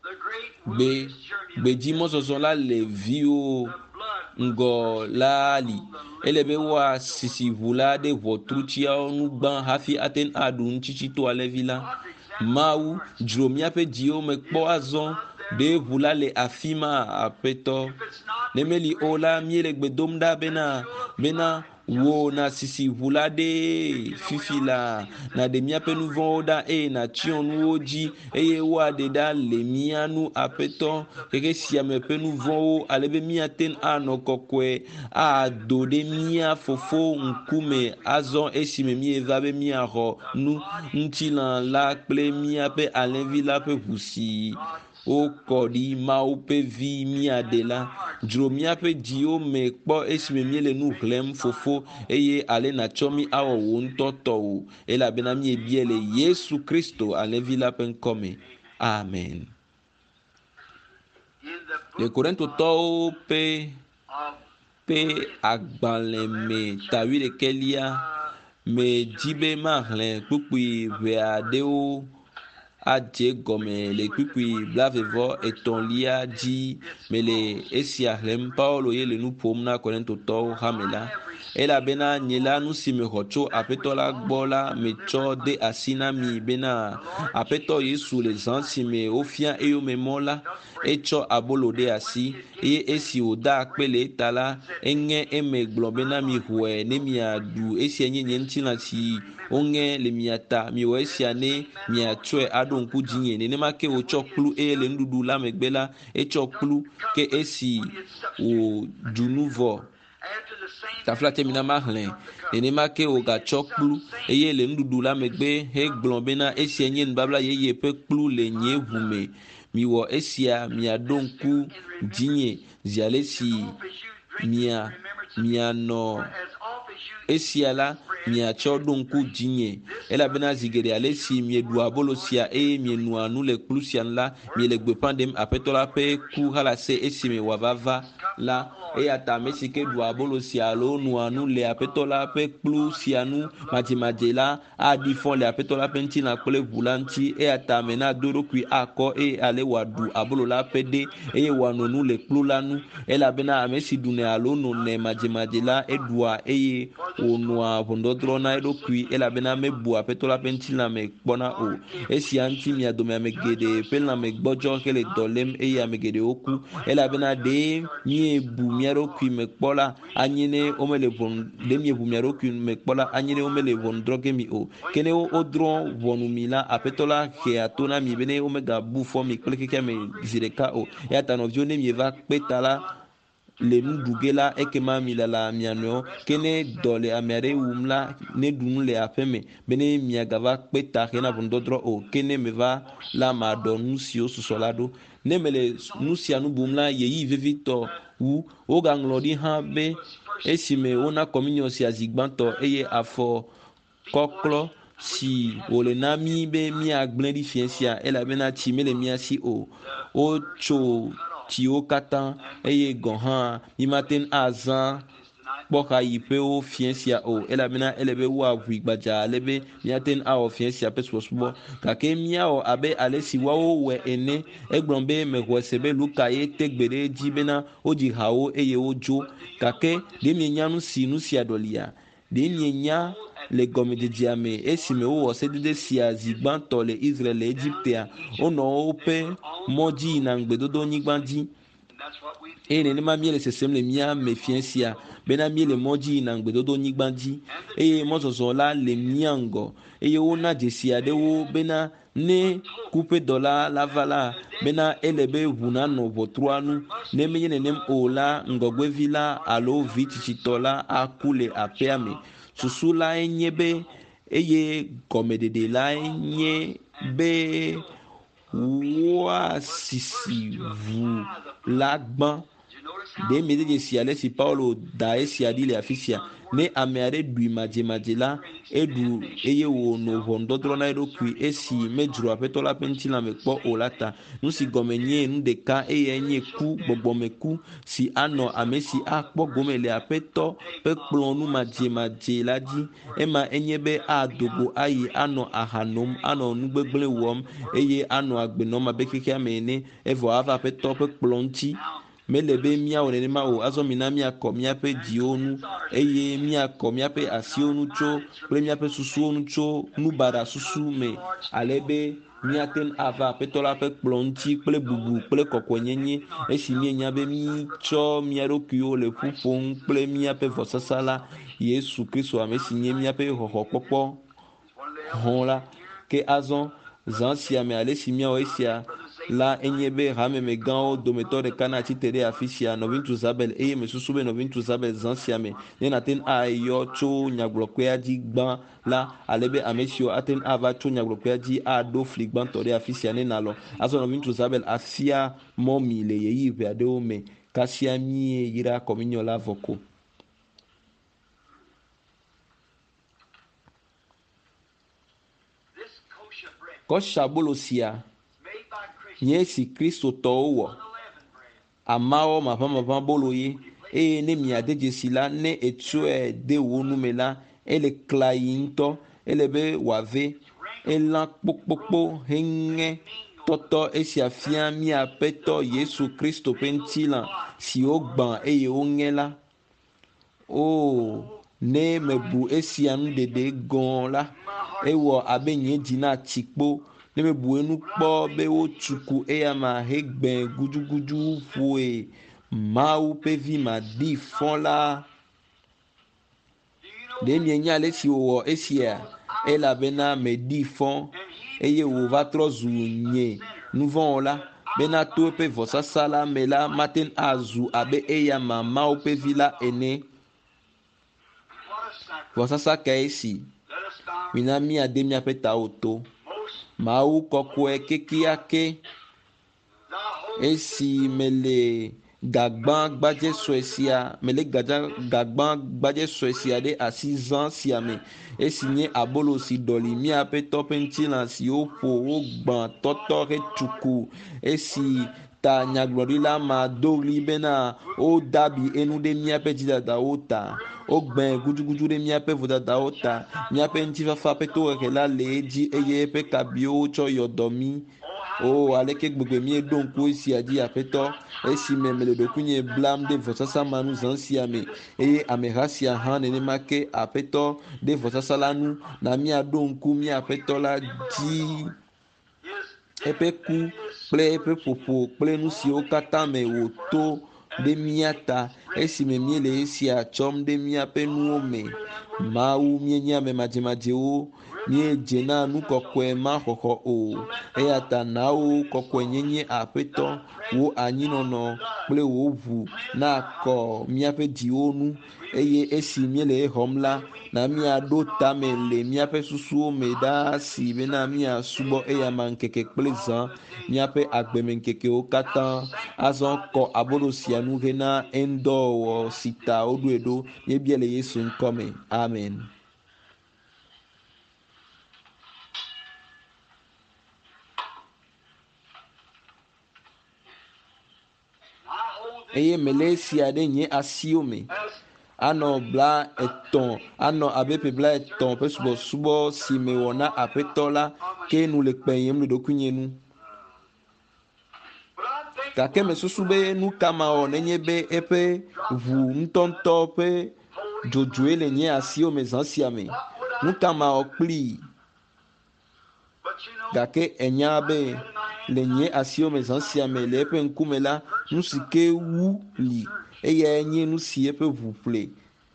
the great gbe wilderness journey of gbedzimɔzɔzɔ la le viwo the blood ŋgɔ la li. Ele be woasisi ʋu la ɖe ʋɔtrutiawo nu gbã hafi ate ŋu aɖu ŋutitsito alẽvi la. Mawu, dzro míaƒe dziwo me kpɔ azɔ ɖe ʋu la le afi ma aƒetɔ. if it's not Ne meli o la, míele gbe dom ɖa bena bena wò nasisi ʋu la ɖe fifi la nàɖe míaƒe nu vɔ̃wo ɖa eye nàtsyɔ nuwo dzi eye woaɖe ɖa le mía nu aƒetɔ xexe sia me ƒe nu vɔ̃wo ale be míate ŋu anɔ kɔkɔe ado ɖe mía fofo ŋkume azɔ esime míeva be míaxɔ nu ŋutilã la kple míaƒe alẽvi la ƒe ʋu si wokɔ ɖi Mawu ƒe vi míaɖe la. Dzro míaƒe dziwo me kpɔ esime míele nu xlẽm fofo eye ale nàtsɔ mí awɔ wò ŋutɔ tɔwò elabena míebia le Yesu Kristo alẽvi la ƒe ŋkɔme. Amen. in the Le book Korintotɔwo ƒe of ƒe agbalẽ me ta wuiɖekɛlia me dzi be maxlẽ kpukpui ʋɛ aɖewo adze gɔme le kpukpui blavevɔ etɔ̃lia dzi mele esia xlẽm. Paulo ye le nu ƒom na Korintotɔwo hame la. Elabena nye la nu si mexɔ tso Aƒetɔ la gbɔ la metsɔ de asi na mi bena Aƒetɔ Yesu le zã si me wofia eyome mɔ la, etsɔ abolo ɖe asi eye esi wòda akpe le eta la, eŋe eme gblɔ bena mixɔe ne miaɖu esia nye nye ŋutilã si woŋe le mia ta. Miwɔ esia ne miatsɔe aɖo ŋku dzinye. Nenema ke wòtsɔ kplu eye le nuɖuɖu la megbe la, etsɔ kplu ke esi wòɖu nu vɔ after the same taflatse mina maxlẽ. Nenema ke wògatsɔ kplu eye le nuɖuɖu la megbe hegblɔ bena esia nye nubabla yeye ƒe kplu le nye ʋu me. Miwɔ esia miaɖo ŋku dzinye zi ale si as you drink mia this in remembrance of me. mianɔ For as oft as Esia la miatsɔ ɖo ŋku dzinye elabena zi geɖe ale si mieɖua abolo sia eye mienɔa nu le kplu sia nu la miele gbeƒã ɖem aƒetɔ la ƒe ku halase esime wòava va la eya ta ame si ke ɖua abolo sia alo nɔa nu le aƒetɔ la ƒe kplu sia nu madzemadze la aɖi fɔ le aƒetɔ la ƒe ŋutilã kple ʋu la ŋuti eya ta ame nado eɖokui akɔ eye ale wòaɖu abolo la ƒe ɖe eye wòano nu le kplu la nu elabena ame si ɖunɛ alo nonɛ madzemadze la eɖua eye wònɔa ʋɔnudɔdrɔ̃ na eɖokui elabena mebua aƒetɔ la ƒe ŋutilã me kpɔna o. Esia ŋuti mia dome ame geɖe ƒe lãme gbɔdzɔ hele dɔ lém eye ame geɖewo ku elabena ɖe miebu mia ɖokui me kpɔ la anye ne womele ʋɔnu ɖe miebu mia ɖokui me kpɔ la anye ne womele ʋɔnu drɔ̃ ge mi o. Ke ne wodrɔ̃ ʋɔnu mi la aƒetɔ la hea to na mi be ne womegabu fɔ mi kple xexea me zi ɖeka o. Eya ta nɔviwo ne mieva kpe ta la le nu ɖu ge la ekema milala mia nɔewo ke ne dɔ le ame aɖe wum la ne ɖu nu le aƒe me be ne miagava kpe ta hena ʋɔnudɔdrɔ̃ o ke ne meva la maɖɔ nu siwo susɔ la ɖo. Ne mele nu sia nu bum la ɣeyiɣi vevitɔ wu wogaŋlɔ ɖi hã be esime wona kɔminiɔ sia zi gbãtɔ eye afɔ kɔklɔ si wòle na mí be míagblẽ ɖi fiẽ sia elabena tsi mele mía si o. Wotso tsiwo katã eye gɔ̃ hã mímate ŋu azã kpɔxayiƒewo fiẽ sia o elabena ele be woaʋui gbadza ale be míate ŋu awɔ fiẽ sia ƒe subɔsubɔ gake míawɔ abe ale si woawo wɔe ene. Egblɔ be mexɔe se be Luka ye te gbe ɖe edzi bena wodzi hawo eye wodzo gake ɖe mienya nu si nu sia ɖɔlia? Ɖe mienya le gɔmedzedzea me esime wowɔ sedede sia zi gbãtɔ le Israel le Egiptea wonɔ woƒe mɔ dzi yina ŋugbedodonyigba dzi eye nenema míele sesem le mía me fiẽ sia bena míele mɔ dzi yina ŋugbedodonyigba dzi eye mɔzɔzɔ la le mía ŋgɔ eye wona dzesi aɖewo bena ne ku ƒe dɔla la va la bena ele be ʋu nanɔ ʋɔtrua nu ne menye nenem o la ŋgɔgbevi la alo vi tsitsitɔ la aku le aƒea me. Susu lae nye be eye gɔmeɖeɖe lae nye be woasisi ʋu la gbã. Ɖe miede dzesi ale si Paulo da esia ɖi le afi sia. Ne ame aɖe ɖui madzemadze la eɖu eye wònɔ ʋɔnudɔdrɔ̃ na eɖokui esi medzro aƒetɔ la ƒe ŋutilã me kpɔ o la ta. Nu si gɔme nye nu ɖeka eyae nye ku gbɔgbɔmeku si anɔ ame si akpɔ gome le aƒetɔ ƒe kplɔ̃ nu madzemadze la dzi. Ema enye be ado go ayi anɔ aha nom anɔ nu gbegblẽ wɔm eye anɔ agbe nɔm abe xexea me ene evɔ ava aƒetɔ ƒe kplɔ̃ ŋuti. Mele be míawɔ nenema o. Azɔ mina míakɔ míaƒe dziwo nu eye míakɔ míaƒe asiwo nu tso kple míaƒe susuwo nu tso nubaɖa susu me ale be míate ŋu ava aƒetɔ la ƒe kplɔ̃ ŋuti kple bubu kple kɔkɔenyenye esi míenya be mítsɔ mía ɖokuiwo le ƒu ƒom kple míaƒe vɔsasa la Yesu Kristo ame si nye míaƒe xɔxɔkpɔkpɔ hɔ̃ la. Ke azɔ zã sia me ale si míawɔ esia la enye be hamemegãwo dometɔ ɖeka natsi te ɖe afi sia nɔviŋutsu Zabel eye mesusu be nɔviŋutsu Zabel zã sia me ne nate ŋu ayɔ tso nyagblɔkpea dzi gbã la ale be ame siwo ate ŋu ava tso nyagblɔkpea dzi aɖo fli gbãtɔ ɖe afi sia ne nalɔ. Azɔ nɔviŋutsu Zabel afia mɔ mi le ɣeyiɣi ʋɛ aɖewo me kasia míeyra kɔminiɔ la vɔ ko. Kɔsabolo sia nye esi kristotɔwo wɔ amawɔ maʋamaʋã bolo ye eye ne miade dzesi la ne etsɔe de wò nu me la ele klayi ŋutɔ ele be wòave elã kpokpokpo heŋe tɔtɔ esia fia míaƒetɔ Yesu Kristo ƒe ŋutilã si wogbã eye woŋe la. O ne mebu esia nu ɖeɖe gɔ̃ la ewɔ abe nye dzi natsi kpo ne mebu enu kpɔ be wotsuku eya ma hegbẽ gudugudu ƒoe Mawu ƒe vi maɖi fɔ la. Ɖe mienya ale si wòwɔ esia elabena meɖi fɔ eye wòva trɔ zu nye nuvɔ̃wɔla bena to eƒe vɔsasa la me la mate ŋu azu abe eya ma Mawu ƒe vi la ene. Vɔsasa kae si? Mina míade míaƒe tawo to. Mawu kɔkɔe kekeake esi mele Gagbã gbadze sue sia mele gadza gagbã gbadze sue sia ɖe asi zã sia me esi nye abolo si ɖɔli míaƒe tɔ ƒe ŋutilã si woƒo wogbã tɔtɔ hetsuku esi ta nyagblɔɖila ma do ɣli bena wodabi enu ɖe míaƒe dzidadawo ta wogbẽ gudugudu ɖe míaƒe vodadawo ta míaƒe ŋutifafa ƒe tohehe la le edzi eye eƒe kabiwo tsɔ yɔ dɔ mí o aleke gbegbe míeɖo ŋku esia dzi aƒetɔ esime mele ɖokuinye blam ɖe vɔsasa ma nu zã sia me eye ameha sia hã nenema ke aƒetɔ ɖe vɔsasa la nu na míaɖo ŋku mía aƒetɔ la dzi eƒe ku kple eƒe ƒoƒo kple nu siwo katã me wòto ɖe mía ta esime míele esia tsɔm ɖe míaƒe nuwo me mawu míenye ame madzemadzewo míedze na nu kɔkɔe ma xɔxɔ o eya ta na wo kɔkɔenyenye aƒetɔ wò anyinɔnɔ kple wò ʋu nakɔ míaƒe dziwo nu eye esi míele exɔm la na míaɖo tame le míaƒe susuwo me ɖaa si bena míasubɔ eyama ŋkeke kple zã míaƒe agbemeŋkekewo katã azɔ kɔ abolo sia nu hena eŋdɔwɔwɔ si ta woɖoe ɖo míebia le yesu ŋkɔ me amen. Eye mele esia ɖe nye asiwo me anɔ bla etɔ̃ anɔ abe ƒe bla etɔ̃ ƒe subɔsubɔ si mewɔ na aƒetɔ la ke nu le kpenyem le ɖokuinye nu gake mesusu be nu ka mawɔ nenye be eƒe ʋu ŋutɔŋutɔ ƒe dzodzoe le nye asiwo me zã sia me nu ka mawɔ kplii gake enya be le nye asiwo me zã sia me le eƒe ŋkume la nu si ke wu li eyae nye nu si eƒe ʋu ƒle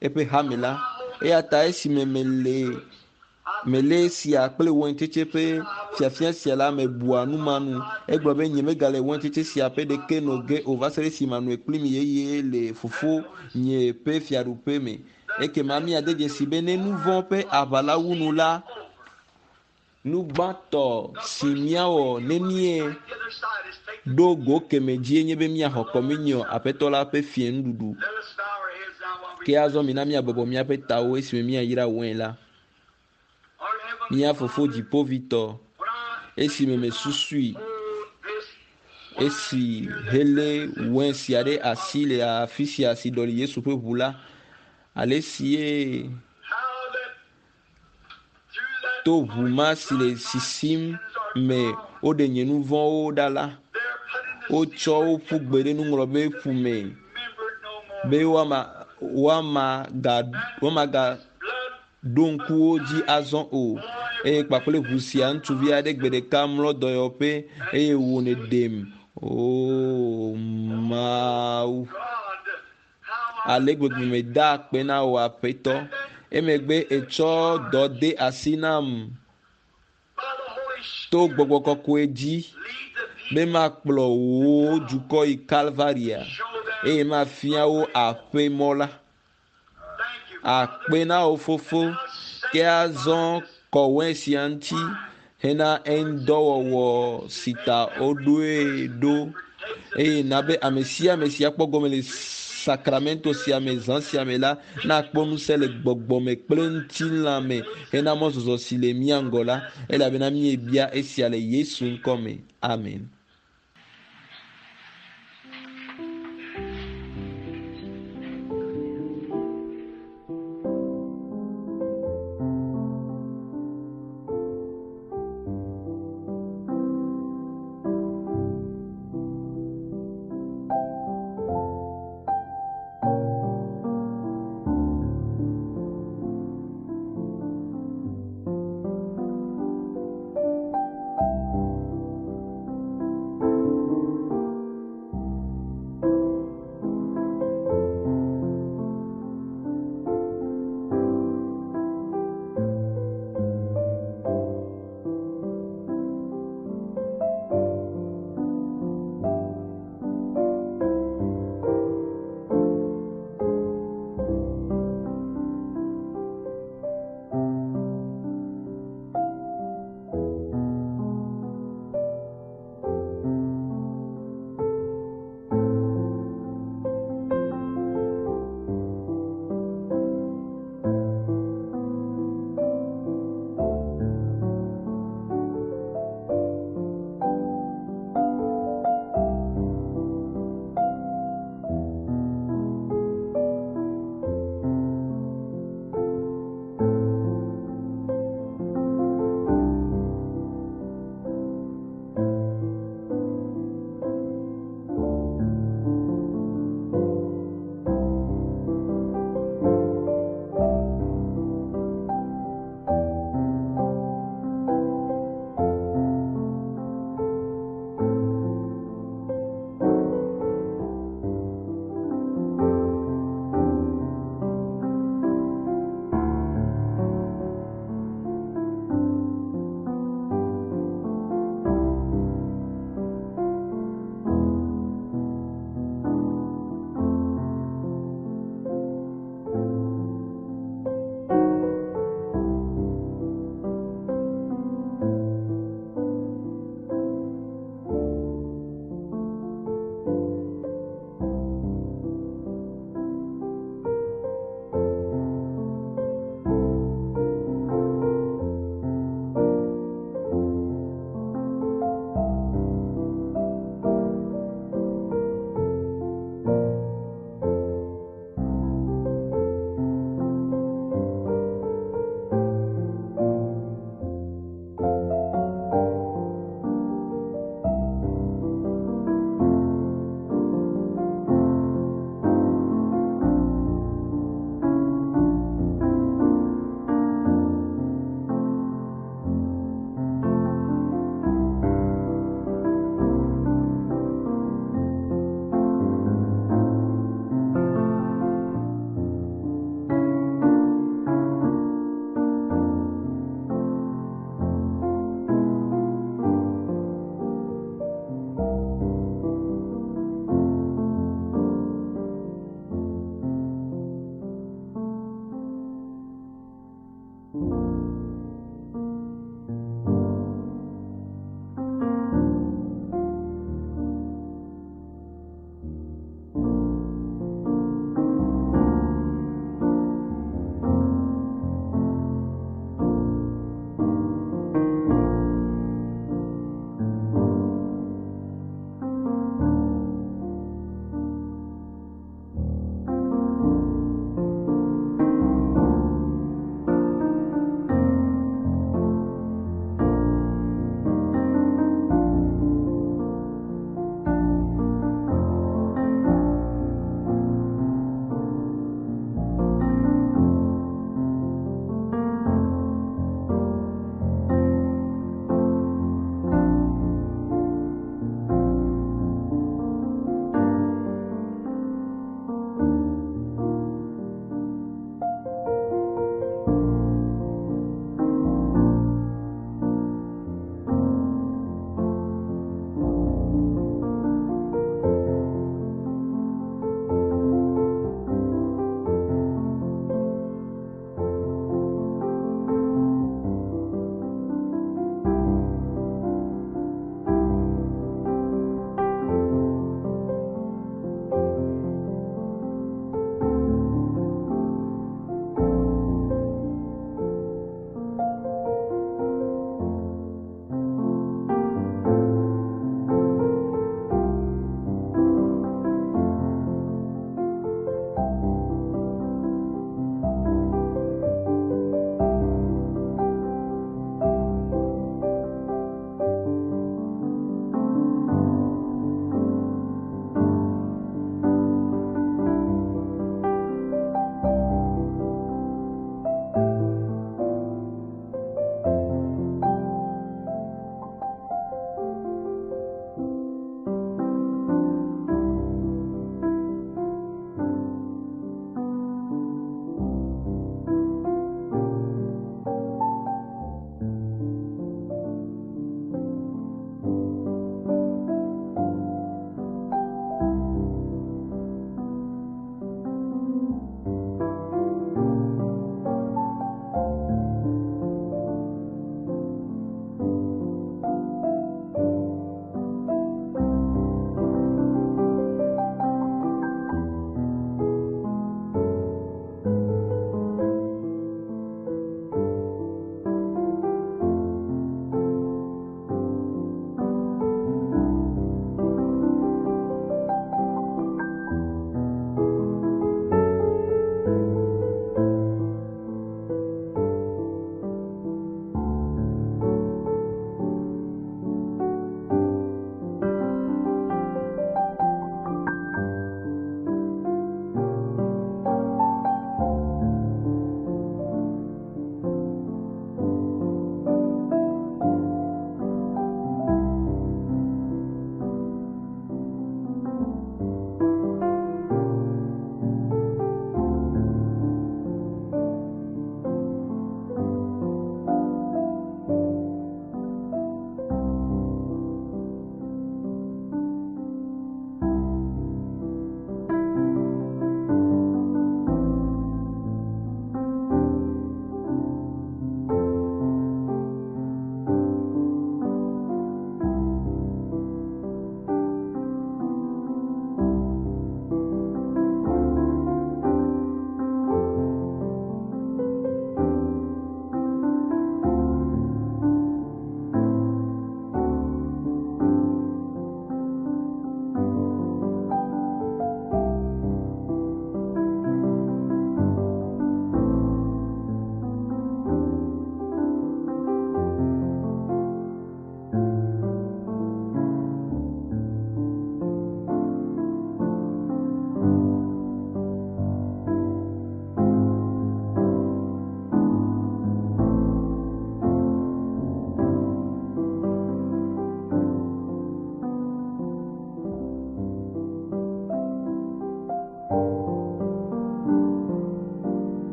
eƒe hame la eya ta esime mele mele esia kple waintsetse ƒe fiafia sia la mebua nu ma nu egblɔ be nye megale waintsetse sia ƒe ɖeke no ge o va se ɖe esime manoe kpli mi yeye le fofo nye ƒe fiaɖuƒe me ekema míade dzesi be ne nu vɔ̃ ƒe aʋa la wu nu la nu gbãtɔ si míawɔ ne míe ɖo go keme dzie nye be míaxɔ kɔminiɔ aƒetɔ la ƒe fie nuɖuɖu ke azɔ mina míabɔbɔ míaƒe tawo esime míayra wain la mía fofo dziƒovitɔ esime mesusui esi hele wain sia ɖe asi le afi sia si ɖɔli yesu ƒe ʋu la ale si ye to ʋu ma si le sisim me woɖe nye nu vɔ̃wo ɖa la wotsɔ wo ƒu gbe ɖe nuŋlɔbe ƒu me be woama woama ga woama ga ɖo ŋku wo dzi azɔ o eye kpakple ʋu sia ŋutsuvi aɖe gbe ɖeka mlɔ dɔyɔƒe eye wò ne ɖem o mawu ale gbegbe meda akpe na wò aƒetɔ emegbe etsɔ dɔ de asi nam to gbɔgbɔ kɔkɔe dzi be makplɔ wò dukɔ yi kalvaria eye mafia wo aƒe mɔ la akpe na wò fofo ke azɔ kɔ wain sia ŋuti hena eŋdɔwɔwɔ si ta woɖoe ɖo eye na be ame sia ame si akpɔ gɔme le sakramento sia me zã sia me la nakpɔ ŋusẽ le gbɔgbɔme kple ŋutilã me hena mɔzɔzɔ si le mía ŋgɔ la elabena míebia esia le yesu ŋkɔ me amen.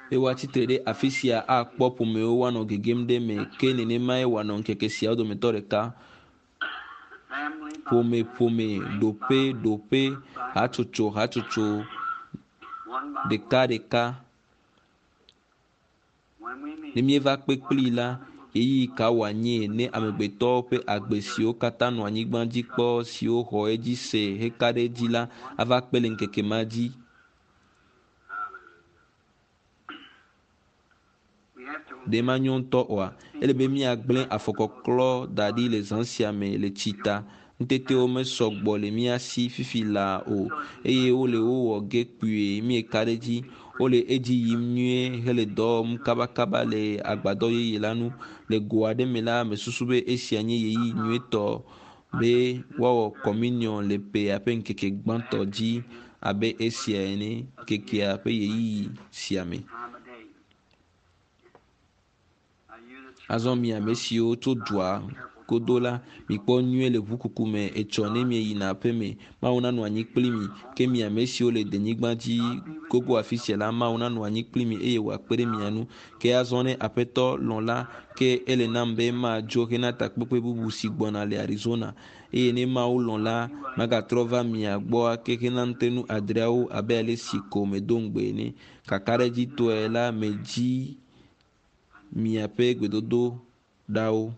Be woatsitre ɖe afi sia akpɔ ƒomewo woanɔ gegem ɖe eme ke nenemae wòanɔ ŋkeke siawo dometɔ ɖeka. Ƒome ƒome, ɖoƒe ɖoƒe, hatsotso hatsotso, ɖeka ɖeka. Ne míeva kpe kplii la, ɣeyiɣi ka wòanye ne amegbetɔwo ƒe agbe siwo katã nɔ anyigba dzi kpɔ siwo xɔ edzi se heka ɖe edzi la ava kpe le ŋkeke ma dzi. Ɖe manyo ŋutɔ oa? Ele be míagblẽ afɔkɔklɔ da ɖi le zã sia me le tsi ta. Ŋutetewo mesɔ gbɔ le mía si fifi laa o eye wole wo wɔ ge kpuie míeka ɖe edzi. Wole edzi yim nyuie hele dɔ wɔm kabakaba le agbadɔ yeye la nu. Le go aɖe me la, mesusu be esia nye ɣeyiɣi nyuietɔ be woawɔ kɔminiɔn le ƒea ƒe ŋkeke gbãtɔ dzi abe esia ene, ŋkekea ƒe ɣeyiɣi sia me. Azɔ mi ame siwo tso dua godo la, mikpɔ nyuie le ʋukuku me etsɔ ne mieyina aƒeme. Mawu nanɔ anyi kpli mi. Ke mi ame siwo le denyigba dzi gogo afi sia la, Mawu nanɔ anyi kpli mi eye wòakpe ɖe mia ŋu. Ke azɔ ne Aƒetɔ lɔ̃ la, ke ele nam be madzo hena takpekpe bubu si gbɔna le Arizona. Eye ne Mawu lɔ̃ la, magatrɔ va mia gbɔ ake hena ŋutenu adreawo abe ale si ko medo ŋugbe ene. Kakaɖedzitɔe la, medzi miaƒe gbedodo ɖawo.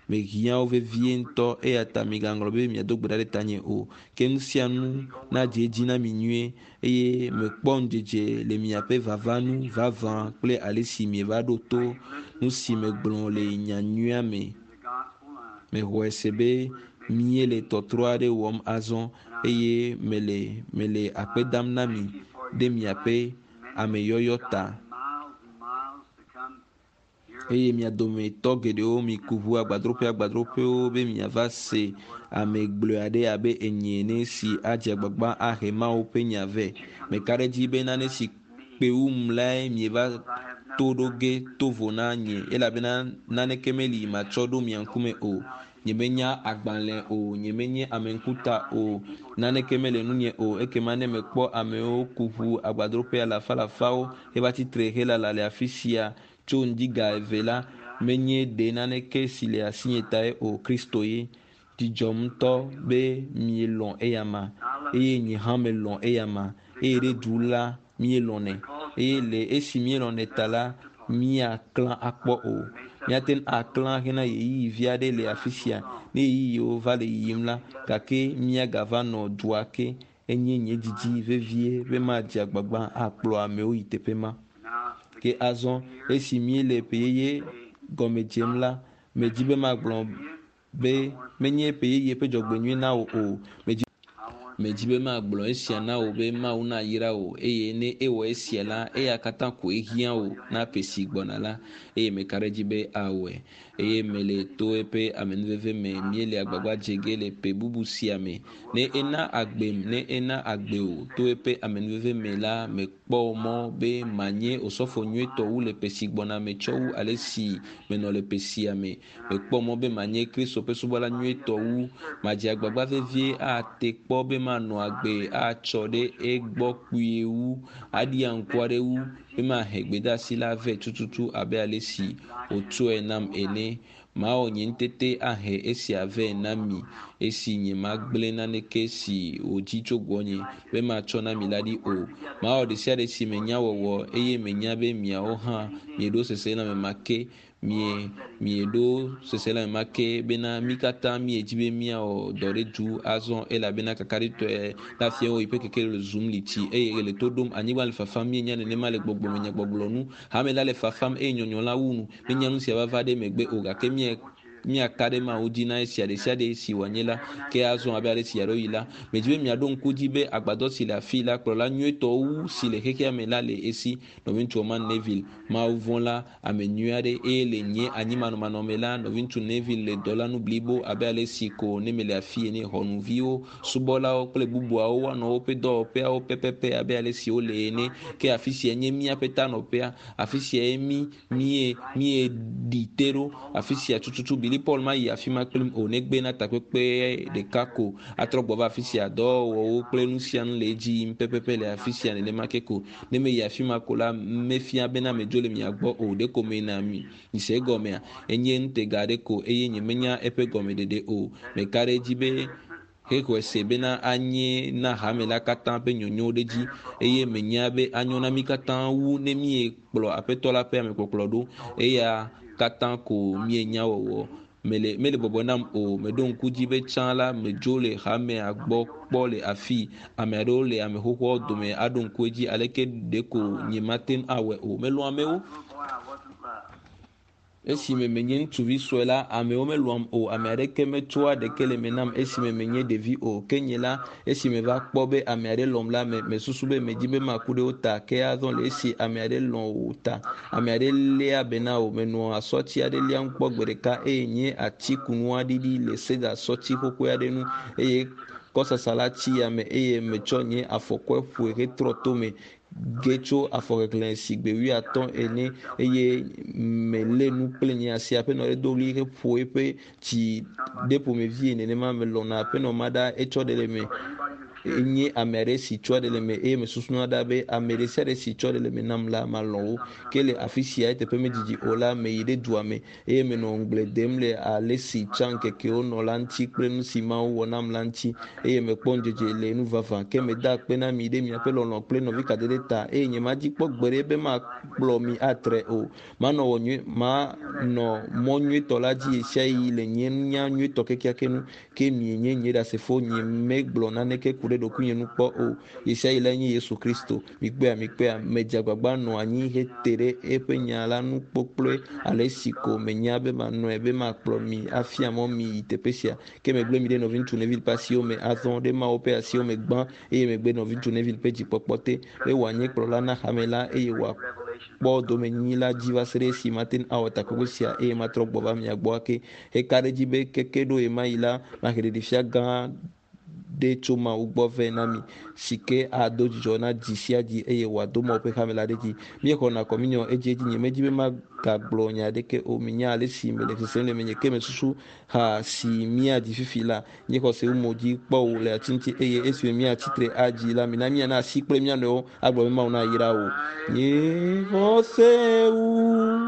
Mehiã wo vevie ŋutɔ eya ta migaŋlɔ be miado gbe ɖa ɖe tanye o. Ke nu sia nu nadze edzi na mi nyuie eye mekpɔ ŋudzedze le miaƒe vava nu vavã kple ale si mieva ɖo to nu si megblɔ le nyanyuia me. Mexɔe se be míele tɔtrɔ aɖe wɔm azɔ eye mele mele akpe dam na mi ɖe miaƒe ameyɔyɔ ta. Eye mia dometɔ geɖewo miku ʋu agbadroƒe agbadroƒewo be miava se ame gblɔe aɖe abe enyi ene si adze agbagba ahe Mawu ƒe nya vɛ. Meka ɖe edzi be nane si kpe wum lae mieva to ɖo ge to vo na nye elabena naneke meli matsɔ ɖo mia ŋkume o. Nyemenya agbalẽ o, nyemenye ameŋkuta o, naneke mele nunye o. Ekema ne mekpɔ amewo ku ʋu agbadroƒe alafalafawo heva tsitre helala le afi sia tso ŋdi ga eve la, menye ɖe naneke si le asinye tae o, Kristo ye. Dzidzɔm ŋutɔ be mielɔ̃ eyama eye nye hã melɔ̃ eyama eye ɖe du la míelɔ̃nɛ eye le esi míelɔ̃nɛ ta la, míaklã akpɔ o. Míate ŋu aklã hena ɣeyiɣi vi aɖe le afi sia ne ɣeyiɣiwo va le yiyim la, gake míagava nɔ dua ke. Enye nye didi vevie be madze agbagba akplɔ amewo yi teƒe ma. Ke azɔ esi míele ƒe yeye gɔme dzem la, medzi be magblɔ be menye ƒe yeye ƒe dzɔgbenyui na wò o. Medzi medzi be magblɔ esia na wò be Mawu nayra wò eye ne ewɔ esia la, eya katã koe hiã wò na ƒe si gbɔna la eye meka ɖe edzi be awɔe. Eye mele to eƒe amenuveve me míele agbagba dze ge le ƒe bubu sia me. Ne ena agbem, ne ena agbe wò to eƒe amenuveve me la, mekpɔ mɔ be manye osɔfo nyuietɔ wu le ƒe si gbɔna me tsɔ wu ale si menɔ le ƒe sia me. Mekpɔ mɔ be manye Kristo ƒe subɔla nyuietɔ wu. Madze agbagba vevie ate kpɔ be manɔ agbe atsɔ ɖe egbɔ kpuie wu, aɖia ŋku aɖe wu be mahe gbedeasi la vɛ tututu abe ale si wòtsɔe nam ene. Mawɔ nye ŋutete ahe esia vɛ na mi esi nyemagblẽ naneke si wòdzi tso gbɔnye be matsɔ na mi la ɖi o. Mawɔ ɖe sia ɖe si menya wɔwɔ eye menya be miawo hã mieɖo seselãme ma ke mie mieɖo seselãme ma ke bena mí katã míedzi be míawɔ dɔ ɖe du azɔ elabena kakaɖitɔe la fia wo yiƒe keke le zum li tsi eye le to ɖom anyigba le fafam míenya nenema le gbɔgbɔme nyagbɔgblɔ nu hame la le fafam eye nyɔnyɔ la wu nu menya nu sia va va ɖe megbe o gake mie míaka ɖe Mawu dzi na esia ɖe sia ɖe si wòanye la ke azɔ abe ale si yeaɖo yi la medzi be miaɖo ŋku dzi be agbadɔ si le afi la kplɔla nyuietɔ wu si le xexea me la le esi nɔviŋutsu Orman Neville Mawu vɔ̃ la ame nyui aɖe eye le nye anyimanɔmanɔme la nɔviŋutsu Neville le dɔ la nu blibo abe ale si ko ne mele afi ene xɔnuviwo subɔlawo kple bubuawo woanɔ woƒe dɔwɔƒeawo pɛpɛpɛ abe ale si wole ene ke afi sia nye míaƒe tanɔƒea afi sia ye mí mie mieɖi te ɖo afi sia tututu Billy Paul mayi afi ma kplim o negbe na takpekpe ɖeka ko atrɔ gbɔ va afi sia dɔwɔwɔwo kple nu sia nu le edzi yim pɛpɛpɛ le afi sia nenema ke ko ne meyi afi ma ko la mefia bena medzo le mia gbɔ o ɖeko meyina mi mise egɔmea enye ŋutega aɖe ko eye nyemenya eƒe gɔmeɖeɖe o meka ɖe edzi be hexɔe se bena anye na hame la katã ƒe nyonyo ɖe dzi eye menya be anyo na mí katã wu ne míekplɔ aƒetɔ la ƒe amekpɔkplɔ ɖo eya katã ko míenya wɔwɔ mele mele bɔbɔ nam o meɖo ŋku dzi be tsã la medzo le hamea gbɔ kpɔ le afi ame aɖewo le ame xoxoawo dome aɖo ŋku edzi aleke ɖeko nyemate ŋu awɔe o melɔ̃ amewo esime menye ŋutsuvi sue la amewo melɔ̃am o ame aɖeke metsɔa ɖeke le me nam esime menye ɖevi o ke nye la esime va kpɔ be ame aɖe lɔ̃m la me mesusu be medzi be maku ɖe wo ta ke azɔ le esi ame aɖe lɔ̃ wò ta ame aɖe léa be na wò menɔ asɔti aɖe liam kpɔ gbe ɖeka eye nye atikunua ɖiɖi le seda sɔti xoxoe aɖe nu eye kɔsasa la tsi yame eye metsɔ nye afɔkɔe ƒoe hetrɔ tome ge tso afɔkeklẽ si gbe wuiatɔ̃ ene eye melé nu kple nye asi aƒenɔ ɖe do ɣli heƒo eƒe tsi ɖe ƒomevie nenema melɔ̃na aƒenɔ ma ɖa etsɔ ɖe le me enye ame aɖe si tsɔ ɖe le me eye mesusuna ɖa be ame ɖe sia ɖe si tsɔ ɖe le me nam la malɔ̃ wo ke le afi sia eteƒe medzidzi o la meyi ɖe dua me eye menɔ ŋugble dem le ale si tsã ŋkekewo nɔ la ŋuti kple nu si Mawu wɔ nam la ŋuti eye mekpɔ ŋudzedze le nu vavã ke meda akpe na mi ɖe miaƒe lɔlɔ̃ kple nɔvi kadede ta eye nyemadzi kpɔ gbe ɖe be makplɔ mi atre o manɔ wɔ nyui manɔ mɔ nyuietɔ la dzi ɣesiaɣi le nye nunya nyuietɔ kekeake nu ke mienye nye ɖasefo nye megblɔ naneke ku ɖe ɖokuinye nu kpɔ o ɣesiaɣi la nye Yesu Kristo mikpɔea mikpɔea medze agbagba nɔ anyi hete ɖe eƒe nya la nu kpokploe ale si ko menya be manɔe be makplɔ mi afia mɔ mi yi teƒe sia ke megblẽ mi ɖe nɔviŋutsu Neville ƒe asiwo me azɔ ɖe Mawu ƒe asiwo me gbã eye megbe nɔviŋutsu Neville ƒe dzikpɔkpɔ te be wòanye kplɔla na hame la eye wòakpɔ domenyinyi la dzi va se ɖe esi mate ŋu awɔ takpekpe sia eye matrɔ gbɔ va mia gbɔ ake heka ɖe edzi be keke ɖo ɣemaɣi la mahe ɖeɖefia gã ɖe tso Mawu gbɔ vɛ na mi si ke ado dzidzɔ na dzi sia dzi eye wòado Mawu ƒe hame la ɖe dzi. Míexɔna kɔminiɔ edziedzi nyemedzi be magagblɔ nya aɖeke o minya ale si mele sesem le menye ke mesusu ha si míadzi fifi la nye xɔse wu mo dzi kpɔ wò le ati ŋuti eye esime míatsitre adzi la mina míana asi kple mía nɔewo agblɔ be Mawu nayra wò. Nye xɔse wu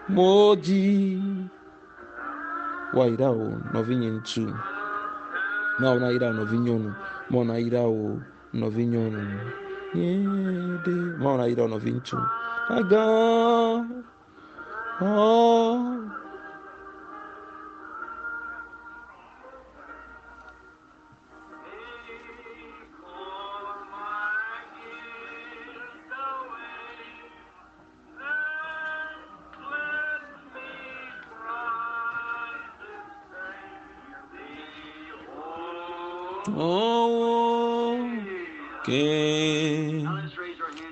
mo dzi woayra wò nɔvinye ŋutsu. Mawu nayra wò nɔvinyɔnu. Mawu nayra wò nɔvinyɔnu. Nye ɖe Mawu nayra wò nɔviŋutsu. Agã ɔ. Oh, ke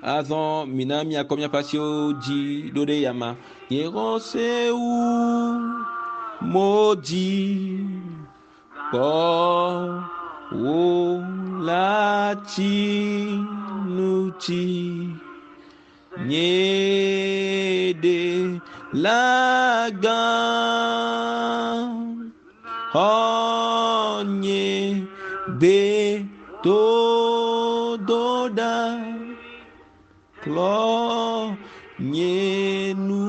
azɔ mina miakɔ miaƒe asiwo dzi ɖo ɖe yama. Nye xɔse wu mo dzi kpɔ wò la tsi ŋuti. Nye ɖe la gã xɔ nye gbe dodo ɖa klɔ nye nu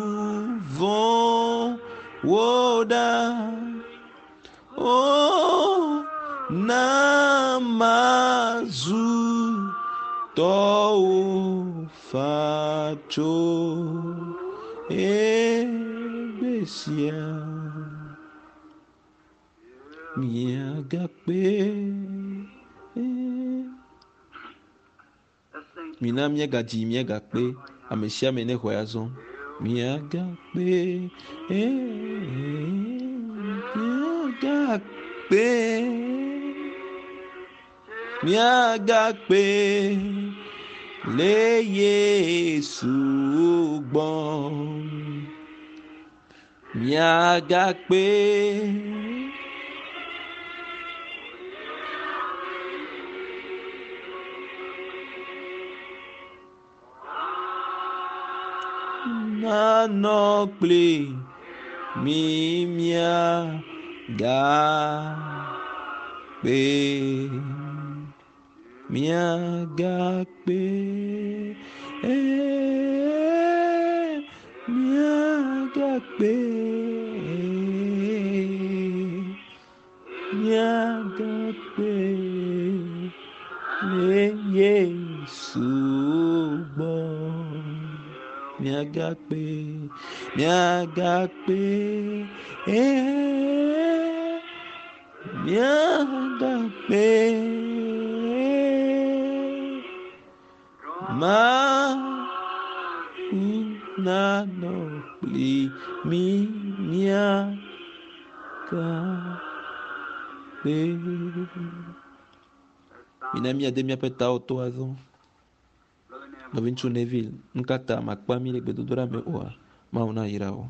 vɔ̃wo ɖa. O na mazu tɔwò fa tso egbe sia. Miagakpe. Mina míagadzi míagakpe ame sia ame nexɔe azɔ. Miagakpe, miagakpe, miagakpe le Yesu gbɔ. Miagakpe. Nanɔ kpli Mi mia ga pe. Mia ga pe. Eh, mia ga pe. Mia ga pe. Le Yesu gbɔ. Miagakpe, miagakpe, eh, miagakpe. Mawu nanɔ kpli mi miagakpe. Mina míade míaƒe tawo to azɔ. Nɔviŋutsu Neville, nu ka ta makpa mí le gbedodoɖa me oa? Mawu nayra wò.